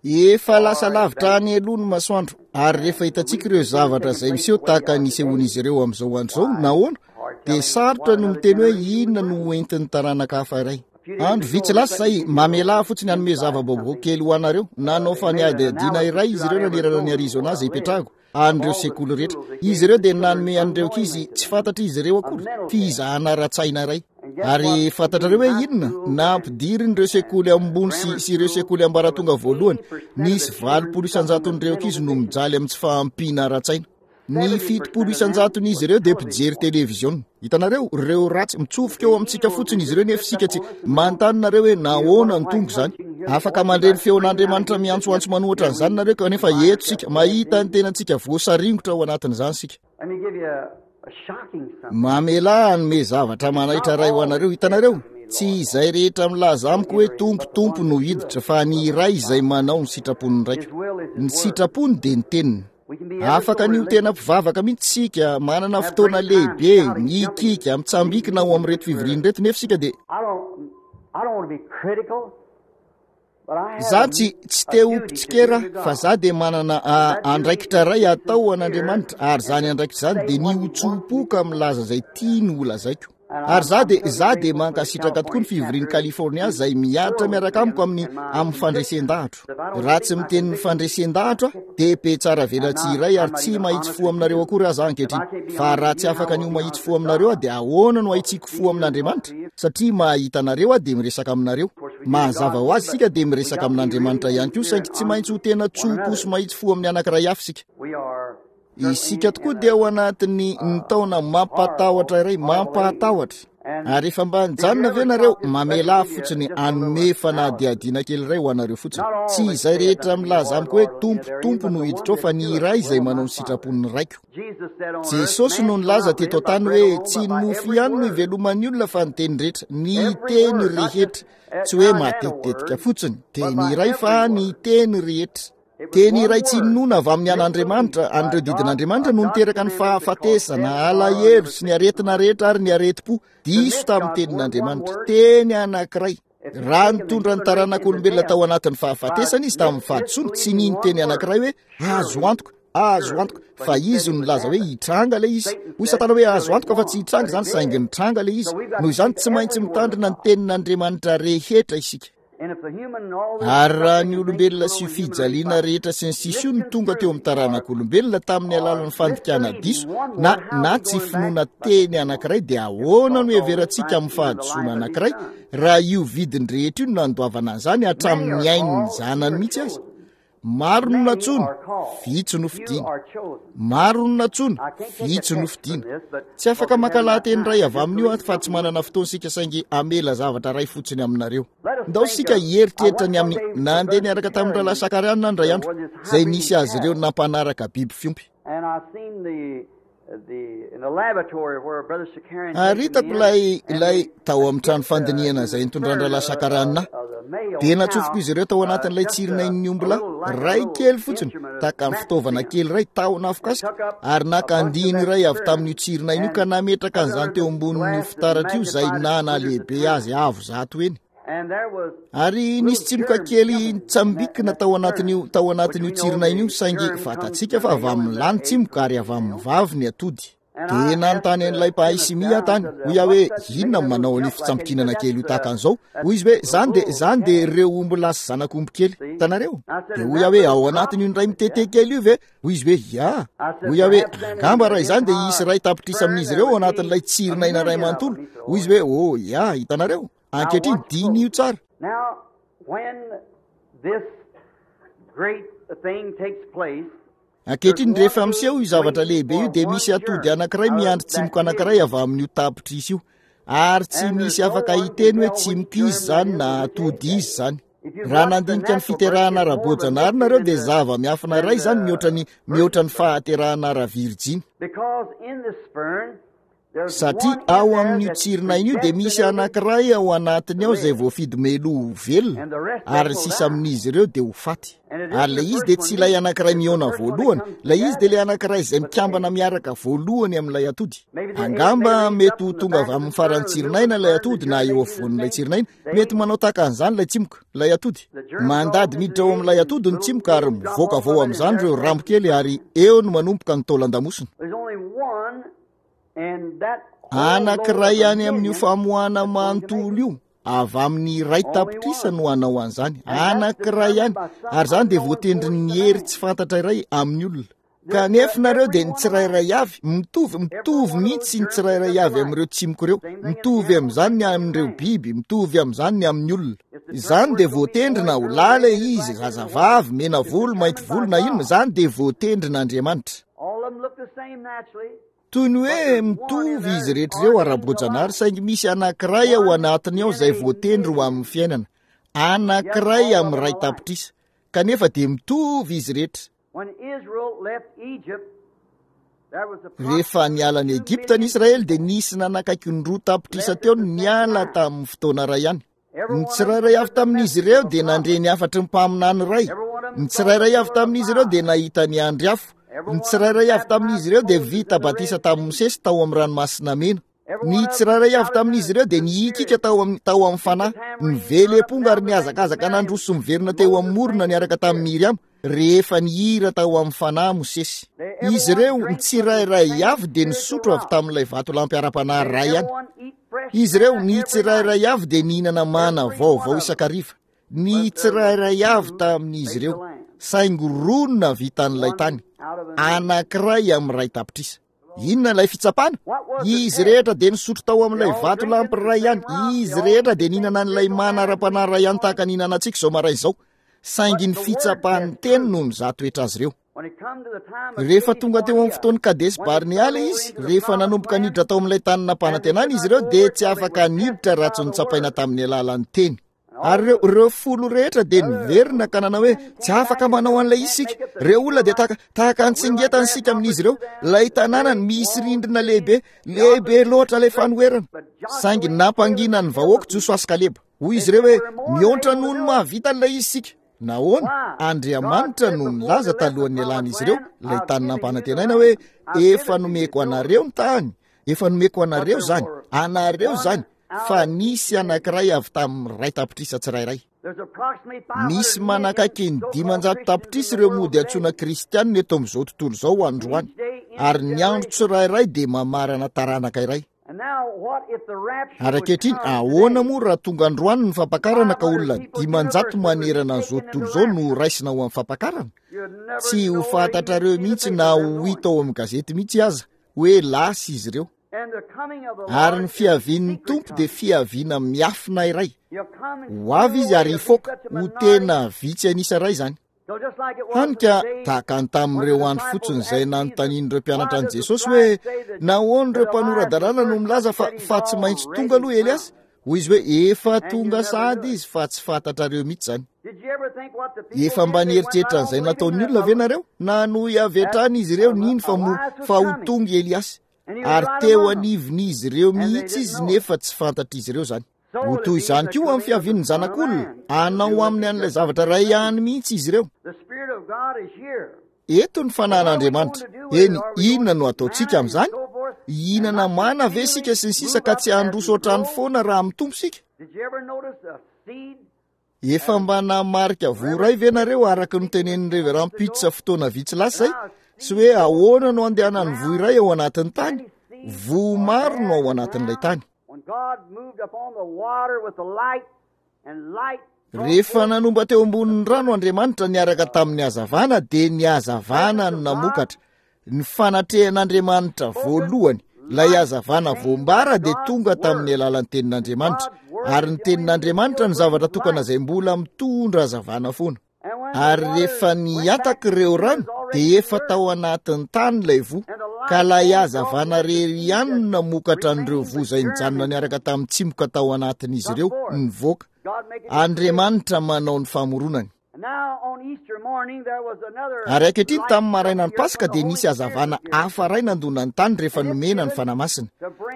Efa lasa lavitra any aloha ny masoandro ary rehefa hitantsika ireo zavatra izay miseho tahaka ny isehoan'izy ireo amin'izao andro izao, nahoana dia sarotra no miteny hoe inona no hoentin'ny taranaka hafa iray. Andro vitsy lasa izay, mamelà fotsiny hanome zava-baovao kely ho anareo. Nanao fanadihadiana iray izy ireo nanerana ny Arizona izay ipetrahako, an'ireo sekoly rehetra. Izy ireo dia nanome an'ireo ankizy tsy fantatra izy ireo akory fizahana ara-tsaina iray. Ary fantatrareo hoe inona? Nampidiriny ireo sekoly ambony sy, sy ireo sekoly ambaratonga voalohany. Nisy valopolo isan-jaton'ireo ankizy no mijaly amin'ny tsy fahampiana ara-tsaina. Ny fitopolo isan-jaton'izy ireo dia mpijery televiziona. Hitanareo, ireo ratsy mitsofoka eo amintsika fotsiny izy ireo nefa isika tsy manontany nareo hoe nahoana no tonga izany. Afaka mandre ny feon'Andriamanitra miantsoantso manohitra an'izany nareo kanefa eto isika mahita ny tenantsika voasaringotra ao anatin'izany isika. Let me give you a, a shocking something. Mamelà hanome zavatra manaitra iray ho anareo. Hitanareo, tsy izay rehetra milaza amiko hoe Tompo, Tompo no hiditra, fa ny iray izay manao ny sitrapon'ny Raiko. Ny sitrapony dia ny teniny. Afaka ny ho tena mpivavaka mihitsy isika, manana fotoana lehibe, mikiky, mitsambikina ao amin'ireto fivoriana ireto, nefa isika dia I don't, I don't want to be critical, but I have za tsy tsy te ho mpitsikera fa za dia manana a, andraikitra iray atao ho an'Andriamanitra ary zany andraikitra zany dia ny ho tso-po ka milaza izay tiany ho lazaiko. Ary za dia, za dia mankasitraka tokoa ny fivorian'i California izay miaritra miaraka amiko amin'ny, amin'ny fandresen-dahatro. Raha tsy miteny ny fandresen-dahatro aho, dia be tsara velatsihy iray ary tsy mahitsy fo aminareo akory aza aho ankehitriny. Fa raha tsy afaka ny ho mahitsy fo aminareo aho, dia ahoana no ahitsiko fo amin'Andriamanitra? Satria mahita anareo aho dia miresaka aminareo. Mazava ho azy isika dia miresaka amin'Andriamanitra ihany koa, saingy tsy maintsy ho tena tso-po sy mahitsy fo amin'ny anankiray hafa isika. Isika tokoa dia ao anatin'ny ny taona mampatahotra iray, mampatahotra. Ary efa mba nijanona ve nareo? Mamelà fotsiny hanome fanadihadiana kely iray ho anareo fotsiny. Tsy izay rehetra milaza amiko hoe Tompo, Tompo no hiditra ao, fa ny iray izay manao ny sitrapon'ny Raiko. Jesosy no nilaza teto an-tany hoe tsy ny mofo ihany no iveloman'ny olona fa ny teny rehetra, ny teny rehetra. Tsy hoe matetitetika fotsiny, teny iray fa ny teny rehetra. Teny iray tsy ninoana avy amin'ny an'Andriamanitra, an'ireo didin'Andriamanitra no niteraka ny fahafatesana, alahelo sy ny aretina rehetra ary ny aretim-po. Diso tamin'ny tenin'Andriamanitra. Teny anankiray. Raha nitondra ny taranak'olombelona tao anatin'ny fahafatesana izy tamin'ny fahadisoana, tsy nino teny anankiray hoe azo antoka, azo antoka, fa izy no nilaza hoe hitranga ilay izy. Hoy Satana hoe azo antoka fa tsy hitranga izany, saingy nitranga ilay izy. Noho izany tsy maintsy mitandrina ny tenin'Andriamanitra rehetra isika. Ary raha ny olombelona sy fijaliana rehetra sy ny sisa io no tonga teo amin'ny taranak'olombelona tamin'ny alalan'ny fandikana diso na, na tsy finoana teny anankiray, dia ahoana no heverantsika amin'ny fahadisoana anankiray raha io vidiny rehetra io no nandoavana an'izany hatramin'ny ain'ny zanany mihitsy aza? Maro no nantsoina, vitsy no fidina. Maro no nantsoina, vitsy no fidina. Tsy afaka maka lahateny iray avy amin'io aho fa tsy manana fotoana isika, saingy hamela zavatra iray fotsiny aminareo. Ndao isika hieritreritra ny amin'ny nandeha niaraka tamin'ny rahalahy Sakariana indray andro, izay nisy azy ireo nampanaraka biby fiompy. Ary hitako ilay, ilay tao amin'ny trano fandinihana izay nitondran-drahalahy Sakariana ahy. Dia natsofoko izy ireo tao anatin'ilay tsirinain'ny ombilahy, iray kely fotsiny, tahaka ny fitaovana kely iray, tahona afokasika, ary naka andiany iray avy tamin'io tsirinaina io ka nametraka an'izany teo ambonin'io fitaratra io izay nana-lehibe azy avo zato heny. Ary nisy tsimoka kely nitsambikina tao anatin'io, tao anatin'io tsirinaina io, saingy fantatsika fa avy amin'ny lahy ny tsimoka ary avy amin'ny vavy ny atody. Dia nanontany an'ilay mpahay simia aho tany, hoy aho hoe, inona no manao an'io fitsambikinana kely io tahaka an'izao? Hoy izy hoe, izany dia, izany dia ireo ombilahy sy zanak'omby kely. Hitanareo? Dia hoy aho hoe, ao anatin'io indray mitete kely io ve? Hoy izy hoe, ya. Hoy aho hoe, angamba raha izany dia hisy iray tapitrisa amin'izy ireo ao anatin'ilay tsirinaina iray manontolo. Hoy izy hoe, oh, ya, hitanareo? Ankehitriny, diniho tsara. Ankehitriny, rehefa miseho io zavatra lehibe io, dia misy atody anankiray miandry tsimoka anankiray avy amin'io tapitrisa io. Ary tsy misy afaka hiteny hoe tsimoka izy izany na atody izy izany. Raha nandinika ny fiterahana ara-boajanahary nareo, dia zava-miafina iray izany mihoatra ny, mihoatra ny fahaterahana ara-virjiny. Satria ao amin'io tsirinaina io dia misy anankiray ao anatiny ao izay voafidy meloa ho velona, ary ny sisa amin'izy ireo dia ho faty. Ary ilay izy dia tsy ilay anankiray mihaona voalohany, ilay izy dia ilay anankiray izay mikambana miaraka voalohany amin'ilay atody. Angamba mety ho tonga avy amin'ny faran'ny tsirinaina ilay atody na eo afovoan'ilay tsirinaina, mety manao tahaka an'izany ilay tsimoka, ilay atody. Mandady miditra ao amin'ilay atody ny tsimoka ary mivoaka avy ao amin'izany ireo rambo kely ary eo no manomboka ny taolan-damosina. Anankiray any amin'io famoahana manontolo io, avy amin'ny iray tapitrisa no hanao an'izany. Anankiray ihany. Ary izany dia voatendrin'ny hery tsy fantatra iray amin'ny olona. Kanefa nareo dia ny tsirairay avy, mitovy, mitovy mihitsy ny tsirairay avy amin'ireo tsimoko ireo. Mitovy amin'izany ny amin'ireo biby, mitovy amin'izany ny amin'ny olona. Izany dia voatendry na ho lahy ilay izy, zazavavy, mena volo, mainty volo na inona, izany dia voatendrin'Andriamanitra. Toy ny hoe mitovy izy rehetra ireo ara-boajanahary, saingy misy anankiray ao anatiny ao izay voatendry ho amin'ny fiainana. Anankiray amin'ny iray tapitrisa. Kanefa dia mitovy izy rehetra. Rehefa niala an'i Egypta ny Israely dia nisy nanakaiky ny roa tapitrisa teo ny niala tamin'ny fotoana iray ihany. Ny tsirairay avy tamin'izy ireo dia nandre ny hafatry ny mpaminany iray. Ny tsirairay avy tamin'izy ireo dia nahita ny andry afo. Ny tsirairay avy tamin'izy ireo dia vita batisa tamin'i Mosesy tao amin'ny ranomasina mena. Ny tsirairay avy tamin'izy ireo dia nihikika tao amin'ny tao amin'ny fanahy, nively amponga ary nihazakazaka nandroso sy miverina teo amin'ny morona niaraka tamin'i Miriama rehefa nihira tao amin'ny fanahy Mosesy. Izy ireo, ny tsirairay avy dia nisotro avy tamin'ilay vatolampy ara-panahy iray ihany. Izy ireo, ny tsirairay avy dia nihinana mana vaovao isan-kariva. Ny tsirairay avy tamin'izy ireo, saingy roa no nahavita an'ilay tany, anankiray amin'ny iray tapitrisa. Inona ilay fitsapana? Izy rehetra dia nisotro tao amin'ilay vatolampy iray ihany. Izy rehetra dia nihinana an'ilay mana ara-panahy iray ihany tahaka ny hihinanantsika izao maraina izao. Saingy ny fitsapan'ny teny no nizaha toetra azy ireo. Rehefa tonga teo amin'ny fotoan'ny Kadesy Barnea ilay izy, rehefa nanomboka niditra tao amin'ilay tany nampanantenana izy ireo, dia tsy afaka niditra raha tsy notsapaina tamin'ny alalan'ny teny. Ary ireo, ireo folo rehetra dia niverina ka nanao hoe, tsy afaka manao an'ilay izy isika. Ireo olona dia tahaka, tahaka ny tsingetana isika amin'izy ireo. Ilay tanànany misy rindrina lehibe, lehibe loatra ilay fanoherana. Saingy nampangina ny vahoaka Josoa sy Kaleba. Hoy izy ireo hoe, mihoatra noho ny mahavita an'ilay izy isika. Nahoana? Andriamanitra no nilaza talohan'ny nialan'izy ireo ilay tany nampanantenaina hoe, efa nomeko anareo ny tany, efa nomeko anareo izany, anareo izany, fa nisy anankiray avy tamin'ny iray tapitrisa tsirairay. Misy manakaiky ny dimanjato tapitrisa ireo mody antsoina kristianina eto amin'izao tontolo izao androany, ary ny andro tsirairay dia mamarana taranaka iray. Ary ankehitriny, ahoana moa raha tonga androany ny fampakarana ka olona dimanjato manerana an'izao tontolo izao no raisina ho amin'ny fampakarana? Tsy ho fantatrareo mihitsy na ho hita ao amin'ny gazety mihitsy aza hoe lasa izy ireo. Ary ny fiavian'ny Tompo dia fiaviana miafina iray. Ho avy izy ary hifoka, ho tena vitsy an'isa iray izany. Hany ka tahaka ny tamin'ireo andro fotsiny izay nanontanian'ireo mpianatra an'i Jesosy hoe, nahoana ireo mpanora-dalàna no milaza fa, fa tsy maintsy tonga aloha Eliasy? Hoy izy hoe, efa tonga sahady izy fa tsy fantatrareo mihitsy izany. Efa mba nieritreritra an'izay nataon'ny olona ve nareo? Nanohy avy hatrany izy ireo nino fa mo, fa ho tonga Eliasy. Ary teo anivon'izy ireo mihitsy izy nefa tsy fantatr'izy ireo izany. Ho toy izany koa amin'ny fiavian'ny zanak'olona, hanao aminy an'ilay zavatra iray ihany mihitsy izy ireo. Eto ny fanan'Andriamanitra. Eny, inona no ataontsika amin'izany? Hihinana mana ve isika sy ny sisa ka tsy handroso hatrany foana raha mitombo isika? Efa mba namarika voa iray ve nareo araka ny notenenin'ny Reverend Pitts fotoana vitsy lasa izay? Sy hoe ahoana no andehanan'ny voa iray ao anatin'ny tany? Voa maro no ao anatin'ilay tany. Rehefa nanomba teo ambonin'ny rano Andriamanitra niaraka tamin'ny hazavana, dia ny hazavana no namokatra. Ny fanatrehan'Andriamanitra voalohany, ilay hazavana voambara dia tonga tamin'ny alalan'ny tenin'Andriamanitra. Ary ny tenin'Andriamanitra no zavatra tokana izay mbola mitondra hazavana foana. Ary rehefa nihataka ireo rano, dia efa tao anatin'ny tany ilay voa, ka ilay hazavana irery ihany no namokatra an'ireo voa izay nijanona niaraka tamin'ny tsimoka tao anatin'izy ireo, nivoaka. Andriamanitra manao ny famoronany. Ary ankehitriny tamin'ny marainan'ny Paska dia nisy hazavana hafa iray nandona ny tany rehefa nomena ny Fanahy Masina.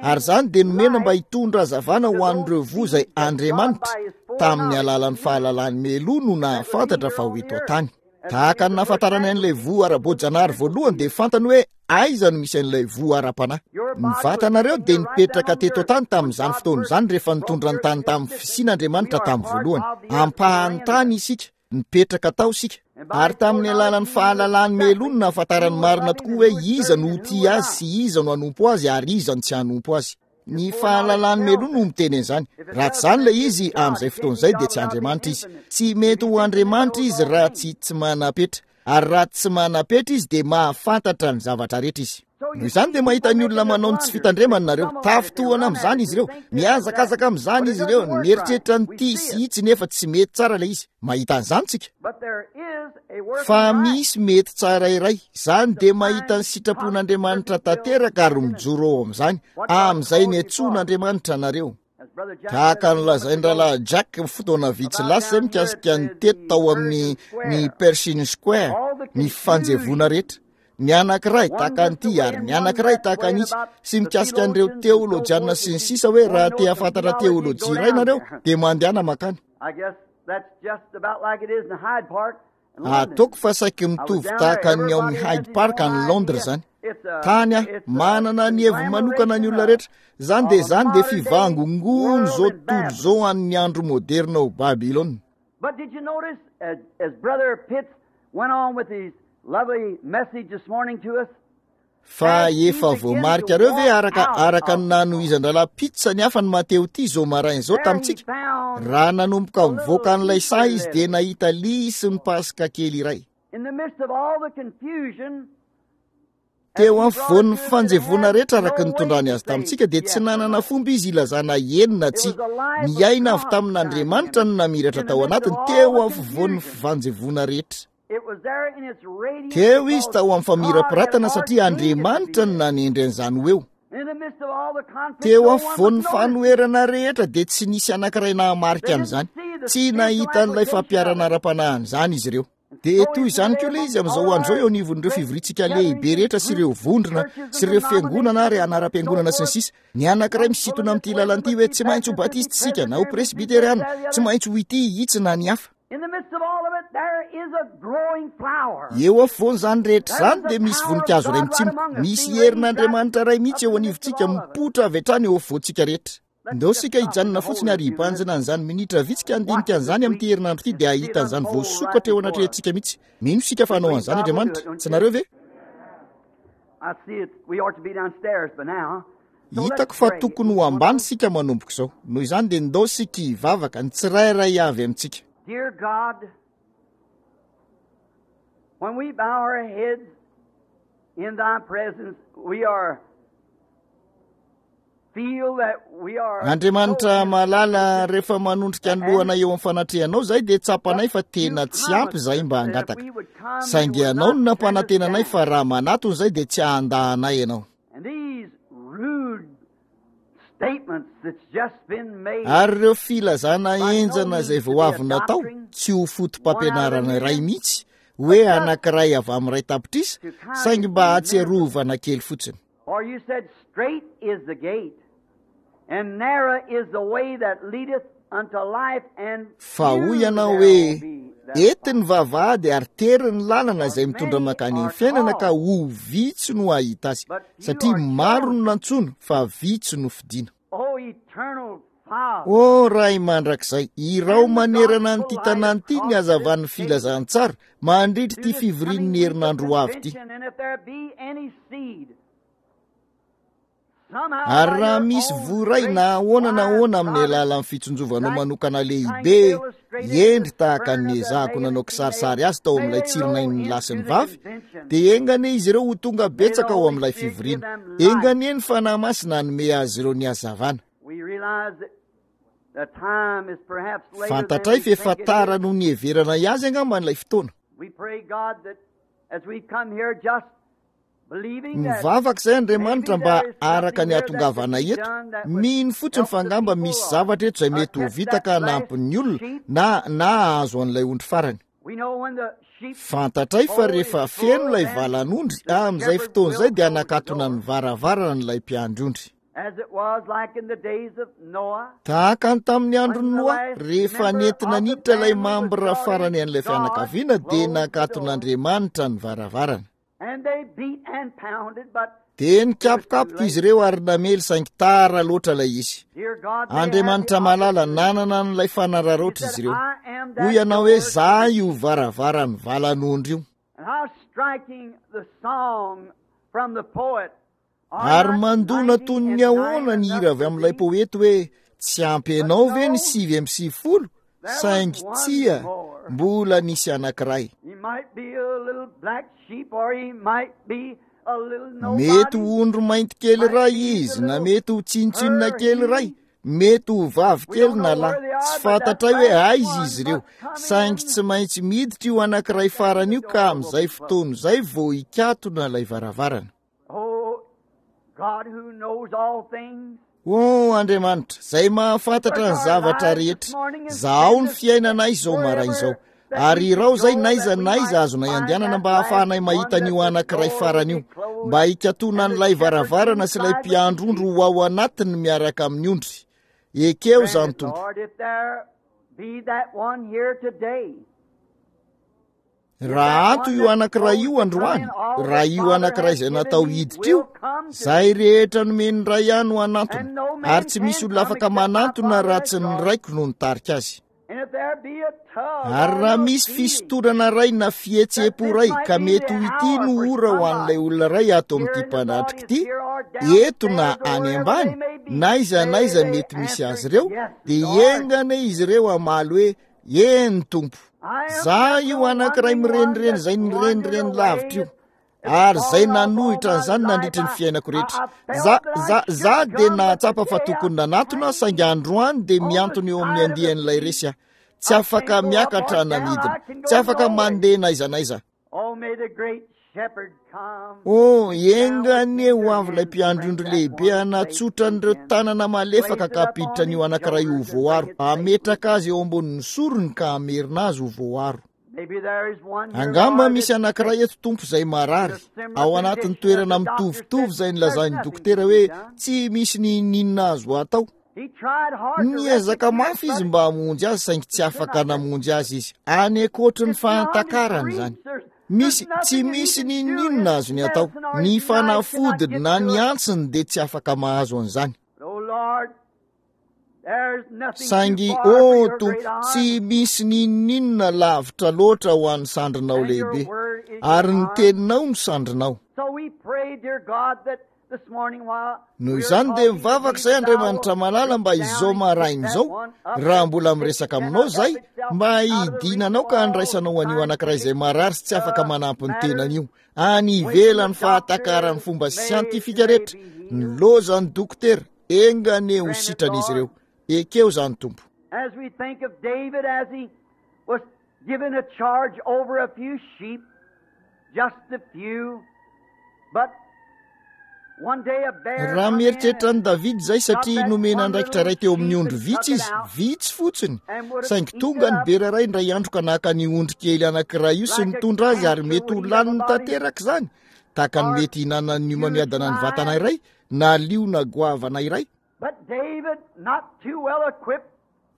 Ary izany dia nomena mba hitondra hazavana ho an'ireo voa izay Andriamanitra, tamin'ny alalan'ny fahalalany mialoha no nahafantatra fa ho eto an-tany. Tahaka ny nahafantarany an'ilay voa ara-boajanahary voalohany dia fantany hoe aiza no misy an'ilay voa ara-panahy. Ny vatanareo dia nipetraka teto an-tany tamin'izany fotoana izany rehefa nitondra ny tany tamin'ny fisiana Andriamanitra tamin'ny voalohany. Ampahan'ny tany isika, nipetraka tao isika. Ary tamin'ny alalan'ny fahalalany mialoha no nahafantarany marina tokoa hoe iza no ho tia azy sy iza no hanompo azy ary iza no tsy hanompo azy. Ny fahalalany mialoha no miteny an'izany. Raha tsy izany ilay izy, amin'izay fotoana izay dia tsy Andriamanitra izy. Tsy mety ho Andriamanitra izy raha tsy tsy manam-petra. Ary raha tsy manam-petra izy dia mahafantatra ny zavatra rehetra izy. Noho izany dia mahita ny olona manao ny tsy fitandremany nareo. Tafintohana amin'izany izy ireo. Mihazakazaka amin'izany izy ireo. Mieritreritra ny tia sy itsy nefa tsy mety tsara ilay izy. Mahita an'izany tsika. Fa misy mety tsara iray. Izany dia mahita ny sitrapon'Andriamanitra tanteraka ary mijoro ao amin'izany. Amin'izay niantsoan'Andriamanitra anareo. Tahaka ny lazain'ny rahalahy Jack fotoana vitsy lasa izay mikasika ny teto tao amin'ny ny Pershing Square, ny fanjevoana rehetra. Ny anankiray tahaka an'ity ary ny anankiray tahaka an'itsy, sy mikasika an'ireo teolojiana sy ny sisa hoe raha te hahafantatra teolojia iray nareo dia mandehana mankany. Ataoko fa saiky mitovy tahaka ny ao amin'ny Hyde Park any Londres izany. Tany aho, manana ny heviny manokana ny olona rehetra. Izany dia izany dia fivangongoan'izao tontolo izao an'ny andro moderna ao Babylona. But did you notice as, as Brother Pitts went on with his lovely message this morning to us? Fa efa voamarikareo ve araka araka ny nanohizan-drahalahy Pitts ny hafa ny Mateo ity izao maraina izao tamintsika? Raha nanomboka mivoaka an'ilay saha izy dia nahita lisy ny paska kely iray. Teo afovoan'ny fanjevoana rehetra araka ny nitondrany azy tamintsika dia tsy nanana fomba izy ilazana eny na tsia. Ny aina avy tamin'Andriamanitra no namiratra tao anatiny teo afovoan'ny fanjevoana rehetra. Teo izy tao amin'ny famirapiratana satria Andriamanitra no nanendry an'izany ho eo. Teo afovoan'ny fanoherana rehetra dia tsy nisy anankiray nahamarika an'izany. Tsy nahita an'ilay fampiharana ara-panahy an'izany izy ireo. Dia toy izany koa ilay izy amin'izao andro izao eo anivon'ireo fivoriantsika lehibe rehetra sy ireo vondrona sy ireo fiangonana ary anaram-piangonana sy ny sisa. Ny anankiray misintona amin'ity lalana ity hoe tsy maintsy ho batista isika na ho presbyteriana, tsy maintsy ho ity itsy na ny hafa. Eo afovoan'izany rehetra izany dia misy voninkazo iray mitsimoka, misy herin'Andriamanitra iray mihitsy eo anivontsika mipoitra avy hatrany eo afovoantsika rehetra. Ndao isika hijanona fotsiny ary hibanjina an'izany minitra vitsy ka handinika an'izany amin'ity herinandro ity dia hahita an'izany voasokatra eo anatrehantsika mihitsy. Mino isika fa hanao an'izany Andriamanitra. Tsy nareo ve? Hitako fa tokony ho ambany isika manomboka izao. Noho izany dia ndao isika hivavaka ny tsirairay avy amintsika. Dear God, when we bow our heads in thy presence, we are Andriamanitra malala, rehefa manondrika ny lohana eo amin'ny fanatrehanao izay dia tsapanay fa tena tsy ampy izahay mba hangataka. Saingy ianao no nampanantenanay fa raha manatona izay dia tsy hahandahanay ianao. Ary ireo filazana henjana izay vao avy natao tsy ho foto-pampianarana iray mihitsy hoe anankiray avy amin'ny iray tapitrisa, saingy mba hahatsiarovana kely fotsiny. For you said, straight is the gate, and narrow is the way that leadeth unto life, and Fa hoy ianao hoe, ety ny vavahady ary tery ny lalana izay mitondra mankany amin'ny fiainana ka ho vitsy no hahita azy, satria maro no nantsoina fa vitsy no fidina. O eternal Father, O Ray mandrakizay, irao manerana an'ity tanàna ity ny hazavan'ny filazantsara mandritra ity fivorian'ny herinandro ho avy ity. and if there be any seed, somehow Ary by raha your misy own voa iray great na ahoana na ahoana amin'ny wise alalan'ny fitsinjovanao providence, manokana lehibe, endry tahaka ny ezahako nanao kisarisary azy tao amin'ilay tsirinain'ny lahy sy ny vavy, dia enga anie izy ireo ho tonga betsaka ao amin'ilay fivoriana. Enga anie ny Fanahy Masina hanome azy ireo ny hazavana. We realize that the time is perhaps later than Fantatray we fa efa think it tara is. noho ny heverana azy angamba ilay fotoana. We pray, God, that as we come here just believing that Mivavaka izay Andriamanitra mba araka ny hahatongavana eto, mino fotsiny fa angamba misy zavatra eto izay mety ho vita ka hanampy ny olona na na hahazo an'ilay ondry farany. we know when the sheep Fantatray fa rehefa feno ilay valan'ondry, amin'izay fotoana izay dia hanakatona ny varavarana ilay mpiandry ondry. as it was like in the days of Noah, Tahaka ny tamin'ny andron'i Noa, rehefa nentina niditra ilay mambra farany an'ilay fianakaviana dia nakaton'Andriamanitra ny varavarana. and they beat and pounded, but Dia nikapokapoka izy ireo ary namely saingy tara loatra ilay izy. dear God, they had Andriamanitra the malala opportunity. nanana an'ilay fanararaotra He izy said, ireo. I am Hoy that ianao hoe door. za io varavaran'ny valan'ondry io. And how striking the song from the poet. Are Ary not mandona ninety toy and ny ahoana nine ny hira avy enough amin'ilay to thee? poety hoe tsy ampy anao ve ny no, sivy amby sivifolo? There was Saingy one tsia, more. mbola nisy anankiray. He might be a little black sheep or he might be a little Mety nobody. ho ondry mainty kely Might iray be the izy, na little mety ho tsinontsinona her kely iray, he. mety ho vavy We kely don't na know lahy. where they are, Tsy but that fantatray hoe last aiza one izy ireo, must come saingy in tsy maintsy miditra io anankiray and then farany the io ka door will amin'izay be closed. fotoana izay vao hikatona ilay varavarana. Oh, God who knows all things, O Andriamanitra, izay mahafantatra search ny our zavatra lives this rehetra, morning and zahao send ny us fiainanay izao maraina izao. wherever that Ary we should irao izay go n'aiza that we n'aiza might azonay find andehanana that mba last hahafahanay one mahita that an'io the anankiray door will farany be io, closed mba hikatona and the an'ilay shepherd varavarana sy ilay inside with the mpiandry ondry sheep. ho ao anatiny miaraka amin'ny ondry. Ekeo Grant izany it, Tompo. Lord, if there be that one here today, if that Raha ato one io that's anankiray supposed io to come androany, in, all raha the io Father anankiray has izay given natao me hiditra io, will come to izay me. rehetra nomen'ny Ray ahy no hanantona, And no ary man tsy misy can olona come afaka except my manantona Father raha has tsy ny drawn. Raiko no nitarika azy. And Ary raha misy fisintonana iray na fihetseham-po iray ka mety ho ity no ora ho an'ilay olona iray ato amin'ity mpanatrika ity, eto na any ambany, na aiza na aiza mety misy azy ireo, dia enga anie izy ireo hamaly hoe, eny Tompo, za io anankiray mirenireny izay nirenireny lavitra io, ary izay nanohitra an'izany nandritry ny fiainako rehetra. Za, za, za dia nahatsapa fa tokony nanatona, saingy androany dia miantona eo amin'ny andian'ilay resy aho. Tsy afaka miakatra na midina, tsy afaka mandeha na aiza na aiza. Oh, enga anie ho avy ilay mpiandry ondry lehibe hanatsotra an'ireo tanana malefaka ka hampiditra an'io anankiray ho voaro, hametraka azy eo ambonin'ny sorony ka hamerina azy ho voaro. Angamba misy anankiray eto Tompo izay marary, ao anatin'ny toerana mitovitovy izay nilazan'ny dokotera hoe tsy misy n'inon'inona azo atao. Niezaka mafy izy mba hamonjy azy, saingy tsy afaka namonjy azy izy. Any ankoatry ny fahatakarany izany. Misy, tsy misy n'inon'inona azony atao. Ny fanafodiny na ny antsiny dia tsy afaka mahazo an'izany. Saingy, ô Tompo, tsy misy n'inon'inona lavitra loatra ho an'ny sandrinao lehibe, ary ny teninao no sandrinao. Noho izany dia mivavaka izay Andriamanitra malala mba izao maraina izao, raha mbola miresaka aminao izay, mba hidinanao ka handraisanao an'io anankiray izay marary sy tsy afaka manampy ny tenany io, any ivelan'ny fahatakaran'ny fomba siantifika rehetra, ny lozan'ny dokotera, enga anie ho sitran'izy ireo. Ekeo izany Tompo. As we think of David as he was given a charge over a few sheep, just a few, but one day a bear Raha mieritreritra an'i David izay satria nomena andraikitra iray teo amin'ny ondry vitsy izy, vitsy fotsiny, saingy tonga ny bera iray indray andro ka naka ny ondry kely anankiray io sy nitondra azy, ary mety ho laniny tanteraka izany, tahaka ny mety hihinanan'ny homamiadana ny vatana iray, na liona goavana iray. But David, not too well equipped,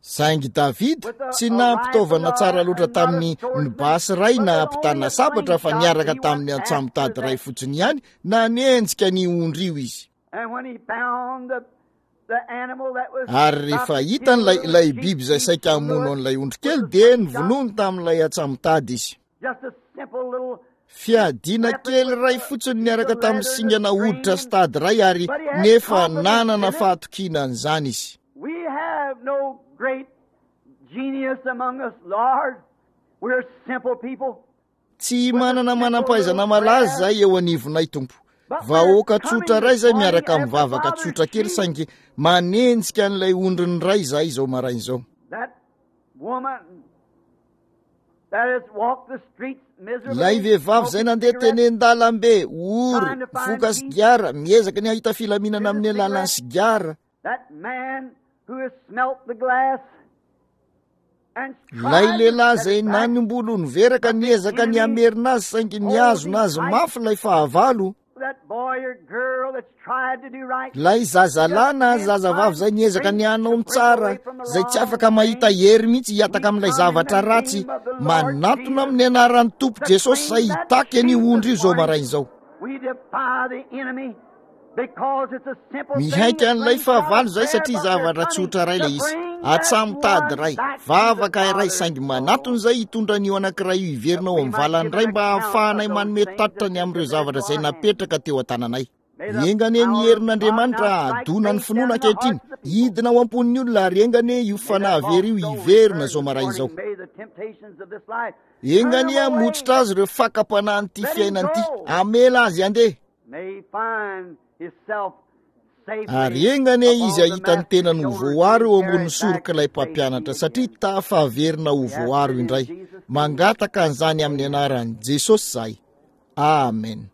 Saingy David tsy nampitaovana tsara loatra tamin'ny ny basy iray na ampitana sabatra fa niaraka tamin'ny antsamotady iray fotsiny ihany, nanenjika ny ondry io izy. and when he found the, the animal that was Ary rehefa hitany ilay ilay biby izay saika hamono an'ilay ondry kely, dia novonoiny tamin'ilay antsamotady izy. just a simple little Fiadiana kely iray fotsiny niaraka tamin'ny singana hoditra sy tady iray, ary nefa nanana fahatokiana an'izany izy. We have no great genius among us, Lord. We're simple people. Tsy manana manam-pahaizana malaza izay eo anivonay Tompo. Vahoaka tsotra iray izay miaraka amin'ny vavaka tsotra kely, saingy manenjika an'ilay ondriny iray izahay izao maraina izao. That woman that has walked the streets miserably, Ilay vehivavy izay nandeha teny an-dalambe, ory, mifoka sigara, miezaka ny hahita filaminana amin'ny alalan'ny sigara. That man who has smelt the glass and Ilay tried lehilahy to izay set it back, nanimbolo niveraka niezaka ny hamerina azy, saingy nihazona azy mafy ilay fahavalo. that boy or girl that's tried to do right, Ilay zazalahy na zazavavy izay niezaka ny hanao ny tsara, izay tsy afaka mahita hery mihitsy hiataka amin'ilay zavatra ratsy, manatona amin'ny anaran'ny Tompo Jesosy izay hitaky an'io ondry io izao maraina izao. we defy the enemy because it's a simple thing Mihaika an'ilay that fahavalo izay satria zavatra tsotra iray ilay izy. Antsamotady iray, vavaka iray, saingy manatona izay hitondra an'io anankiray io hiverina ao amin'ny valany iray mba hahafahanay manome tatitra ny amin'ireo zavatra izay napetraka teo an-tananay. Enga anie ny herin'Andriamanitra hahadona ny finoana ankehitriny, hidina ao am-pon'ny olona, ary enga anie io fanahy very io hiverina izao maraina izao. May the temptations of this life Enga anie hamotsitra azy ireo fakam-panahin'ity fiainana ity, hamela azy handeha. may he find himself safely Ary enga anie izy hahita ny tenany ho voaro eo ambonin'ny sorok'ilay mpampianatra, satria tafaverina ho voaro indray. Mangataka an'izany amin'ny anaran'i Jesosy izahay. Amen.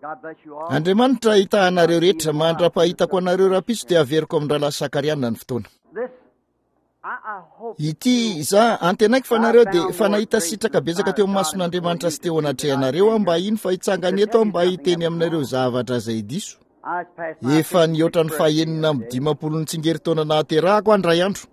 God bless you all. Andriamanitra hitahy anareo rehetra. Mandra-pahitako anareo rahampitso dia averiko amin'ny rahalahy Sakariana ny fotoana. This I, I hope Ity za antenaiko fa nareo dia fa nahita sitraka betsaka teo mason'Andriamanitra sy teo anatrehanareo aho mba hino fa hitsangana eto aho mba hiteny aminareo zavatra izay diso. I passed my Efa nihoatra ny fahenina amby dimampolo ny tsingerin-taona nahaterahako andray andro.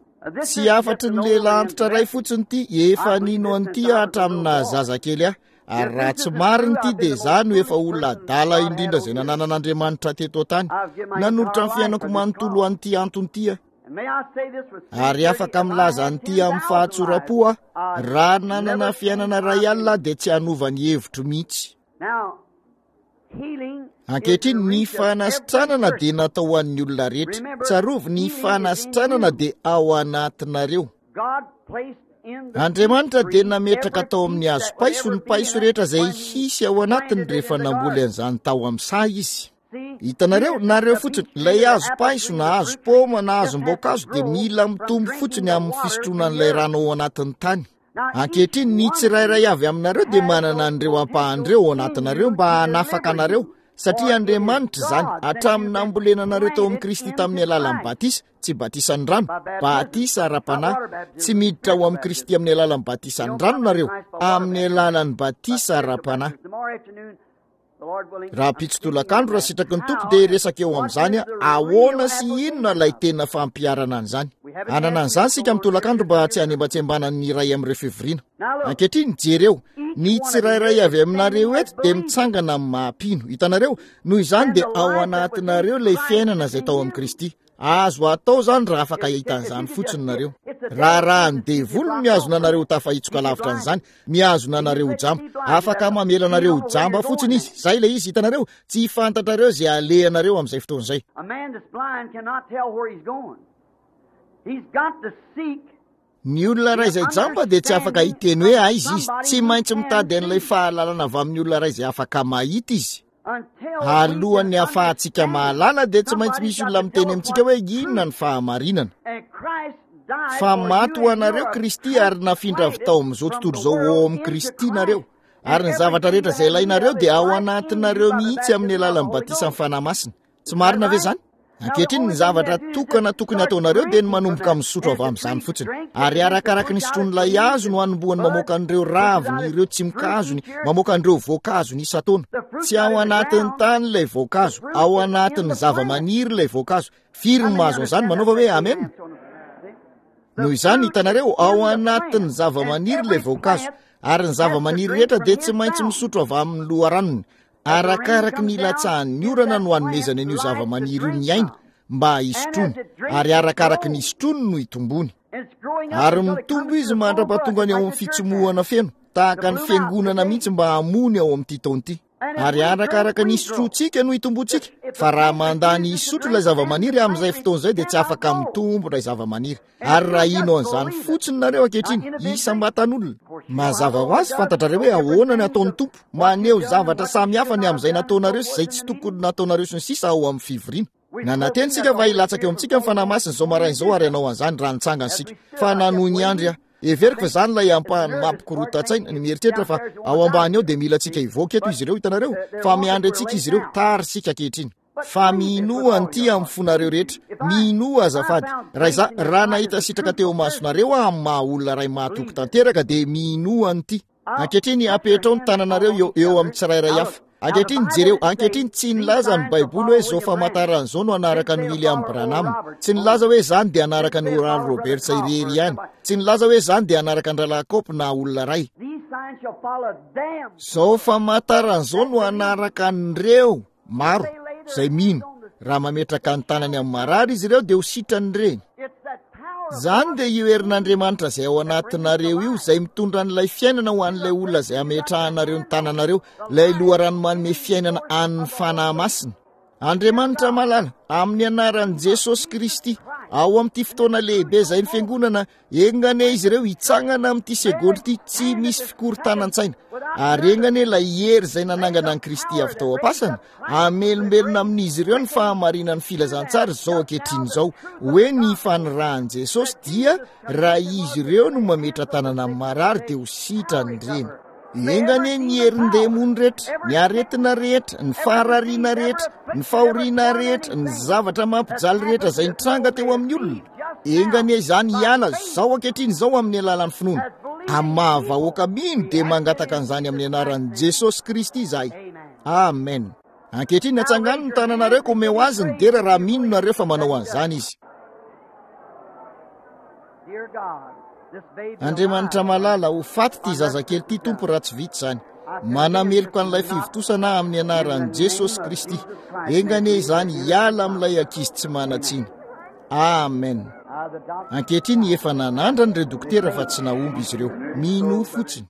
Tsy hafatry ny lehilahy antitra iray fotsiny ity, efa nino an'ity aho hatramin'ny nahazazakely ahy. Ary raha tsy marina ity dia izaho no efa olona adala indrindra izay nananan'Andriamanitra teto an-tany. Nanolotra ny fiainako manontolo ho an'ity antony ity aho. Ary afaka milaza an'ity amin'ny fahatsoram-po aho, raha nanana fiainana iray alina dia tsy hanova ny hevitro mihitsy. Ankehitriny ny fanasitranana dia natao ho an'ny olona rehetra. Tsarovy, ny fanasitranana dia ao anatinareo. Andriamanitra dia nametraka tao amin'ny hazo paiso ny paiso rehetra izay hisy ao anatiny rehefa namboly an'izany tao amin'ny saha izy. Hitanareo, nareo fotsiny, ilay hazo paiso na hazo paoma na hazom-boankazo dia mila mitombo fotsiny amin'ny fisotroana an'ilay rano ao anatin'ny tany. Ankehitriny ny tsirairay avy aminareo dia manana an'ireo ampahan'ireo ao anatinareo mba hanafaka anareo, satria Andriamanitra izany hatramin'ny nambolena anareo tao amin'i Kristy tamin'ny alalan'ny batisa, tsy batisan'ny rano, batisa ara-panahy. Tsy miditra ao amin'i Kristy amin'ny alalan'ny batisan'ny rano nareo, amin'ny alalan'ny batisa ara-panahy. Rahampitso tolakandro raha sitraky ny Tompo dia resaka eo amin'izany ahoana sy inona ilay tena fampiharana an'izany. Hanana an'izany isika amin'ny tolakandro mba tsy hanembatsembanany ny iray amin'ireo fivoriana. Ankehitriny jereo, ny tsirairay avy aminareo eto dia mitsangana amin'ny maha-mpino. Hitanareo, noho izany dia ao anatinareo ilay fiainana izay tao amin'i Kristy. Azo atao izany raha afaka hahita an'izany fotsiny nareo. Raharahan'ny devoly no mihazona anareo ho tafahitsoka lavitra an'izany, mihazona anareo ho jamba. Afaka mamela anareo ho jamba fotsiny izy. Izay ilay izy, hitanareo, tsy fantatrareo izay alehanareo amin'izay fotoana izay. Ny olona iray izay jamba dia tsy afaka hiteny hoe aiza izy. Tsy maintsy mitady an'ilay fahalalana avy amin'ny olona iray izay afaka mahita izy. Alohan'ny hahafahantsika mahalala dia tsy maintsy misy olona miteny amintsika hoe inona ny fahamarinana. Fa maty ho anareo Kristy ary nafindra avy tao amin'izao tontolo izao ho ao amin'i Kristy nareo. Ary ny zavatra rehetra izay ilainareo dia ao anatinareo mihitsy amin'ny alalan'ny batisan'ny Fanahy Masina. Tsy marina ve izany? Ankehitriny ny zavatra tokana tokony hataonareo dia ny manomboka misotro avy amin'izany fotsiny. Ary arakaraky ny sotroin'ilay hazo no hanombohany mamoaka an'ireo raviny, ireo tsimokazony, mamoaka an'ireo voankazony isan-taona. Tsy ao anatin'ny tany ilay voankazo, ao anatin'ny zava-maniry ilay voankazo. Firy no mahazo an'izany? Manaova hoe amen. Noho izany, hitanareo, ao anatin'ny zava-maniry ilay voankazo. Ary ny zava-maniry rehetra dia tsy maintsy misotro avy amin'ny loharanony. Arakaraky ny ilatsahan'ny orana no hanomezany an'io zava-maniry io ny aina mba hisotroany, ary arakaraky ny hisotroany no hitombony. Ary mitombo izy mandra-pahatongany ao amin'ny fitsimohana feno, tahaka ny fiangonana mihitsy mba hamony ao amin'ity taona ity. Ary arakaraka ny hisotroantsika no hitombontsika, fa raha mandà ny hisotro ilay zava-maniry amin'izay fotoana izay dia tsy afaka mitombo ilay zava-maniry. Ary raha hino an'izany fotsiny nareo ankehitriny, isam-batan'olona, mazava ho azy fantatrareo hoe ahoana ny ataon'ny Tompo, maneho zavatra samihafa ny amin'izay nataonareo sy izay tsy tokony nataonareo sy ny sisa ao amin'ny fivoriana. Nanantena isika fa hilatsaka eo amintsika ny Fanahy Masina izao maraina izao ary hanao an'izany raha nitsangana isika. Fa nanohy ny andry aho. Heveriko fa izany ilay ampahany mampikorotan-tsaina, ny mieritreritra fa ao ambany ao dia mila antsika hivoaka eto izy ireo, hitanareo, fa miandry antsika izy ireo, tary isika ankehitriny. Fa minoa an'ity amin'ny fonareo rehetra, minoa azafady. Raha izaho, raha nahita sitraka teo masonareo aho amin'ny maha olona iray mahatoky tanteraka dia minoa an'ity. Ankehitriny apetrao ny tananareo eo, eo amin'ny tsirairay hafa. Ankehitriny jereo, ankehitriny tsy nilaza ny Baiboly hoe izao famantarana izao no hanaraka an'i William Branham. Tsy nilaza hoe izany dia hanaraka an'i Oral Roberts irery ihany. Tsy nilaza hoe izany dia hanaraka an-dRahalahy Cope na olona iray. Izao famantarana izao no hanaraka an'ireo maro izay mino. Raha mametraka ny tanany amin'ny marary izy ireo dia ho sitrany ireny. Izany dia io herin'Andriamanitra izay ao anatinareo io, izay mitondra an'ilay fiainana ho an'ilay olona izay ametrahanareo ny tananareo, ilay loharano manome fiainana an'ny Fanahy Masina. Andriamanitra malala, amin'ny anaran'i Jesosy Kristy, ao amin'ity fotoana lehibe izay ny fiangonana, enga anie izy ireo hitsangana amin'ity segondra ity, tsy misy fikorontanan-tsaina. Ary enga anie ilay hery izay nanangana an'i Kristy avy tao am-pasana, hamelombelona amin'izy ireo ny fahamarinan'ny filazantsara izao ankehitriny izao, hoe ny fanirahan'i Jesosy dia raha izy ireo no mametra-tanana amin'ny marary dia ho sitrany ireny. Enga anie ny herin-demony rehetra, ny aretina rehetra, ny faharariana rehetra, ny fahoriana rehetra, ny zavatra mampijaly rehetra izay nitranga teo amin'ny olona, enga anie izany hiala izao ankehitriny izao amin'ny alalan'ny finoana. Amin'ny maha vahoaka mino dia mangataka an'izany amin'ny anaran'i Jesosy Kristy izahay. Amen. Ankehitriny atsangano ny tananareo ka omeo azy ny dera raha mino nareo fa manao an'izany izy. Andriamanitra malala, ho faty ity zazakely ity Tompo raha tsy vita izany. Manameloka an'ilay fivontosana amin'ny anaran'i Jesosy Kristy. Enga anie izany hiala amin'ilay ankizy tsy manan-tsiny. Amen. Ankehitriny efa nanandrana ireo dokotera fa tsy nahomby izy ireo. Mino fotsiny.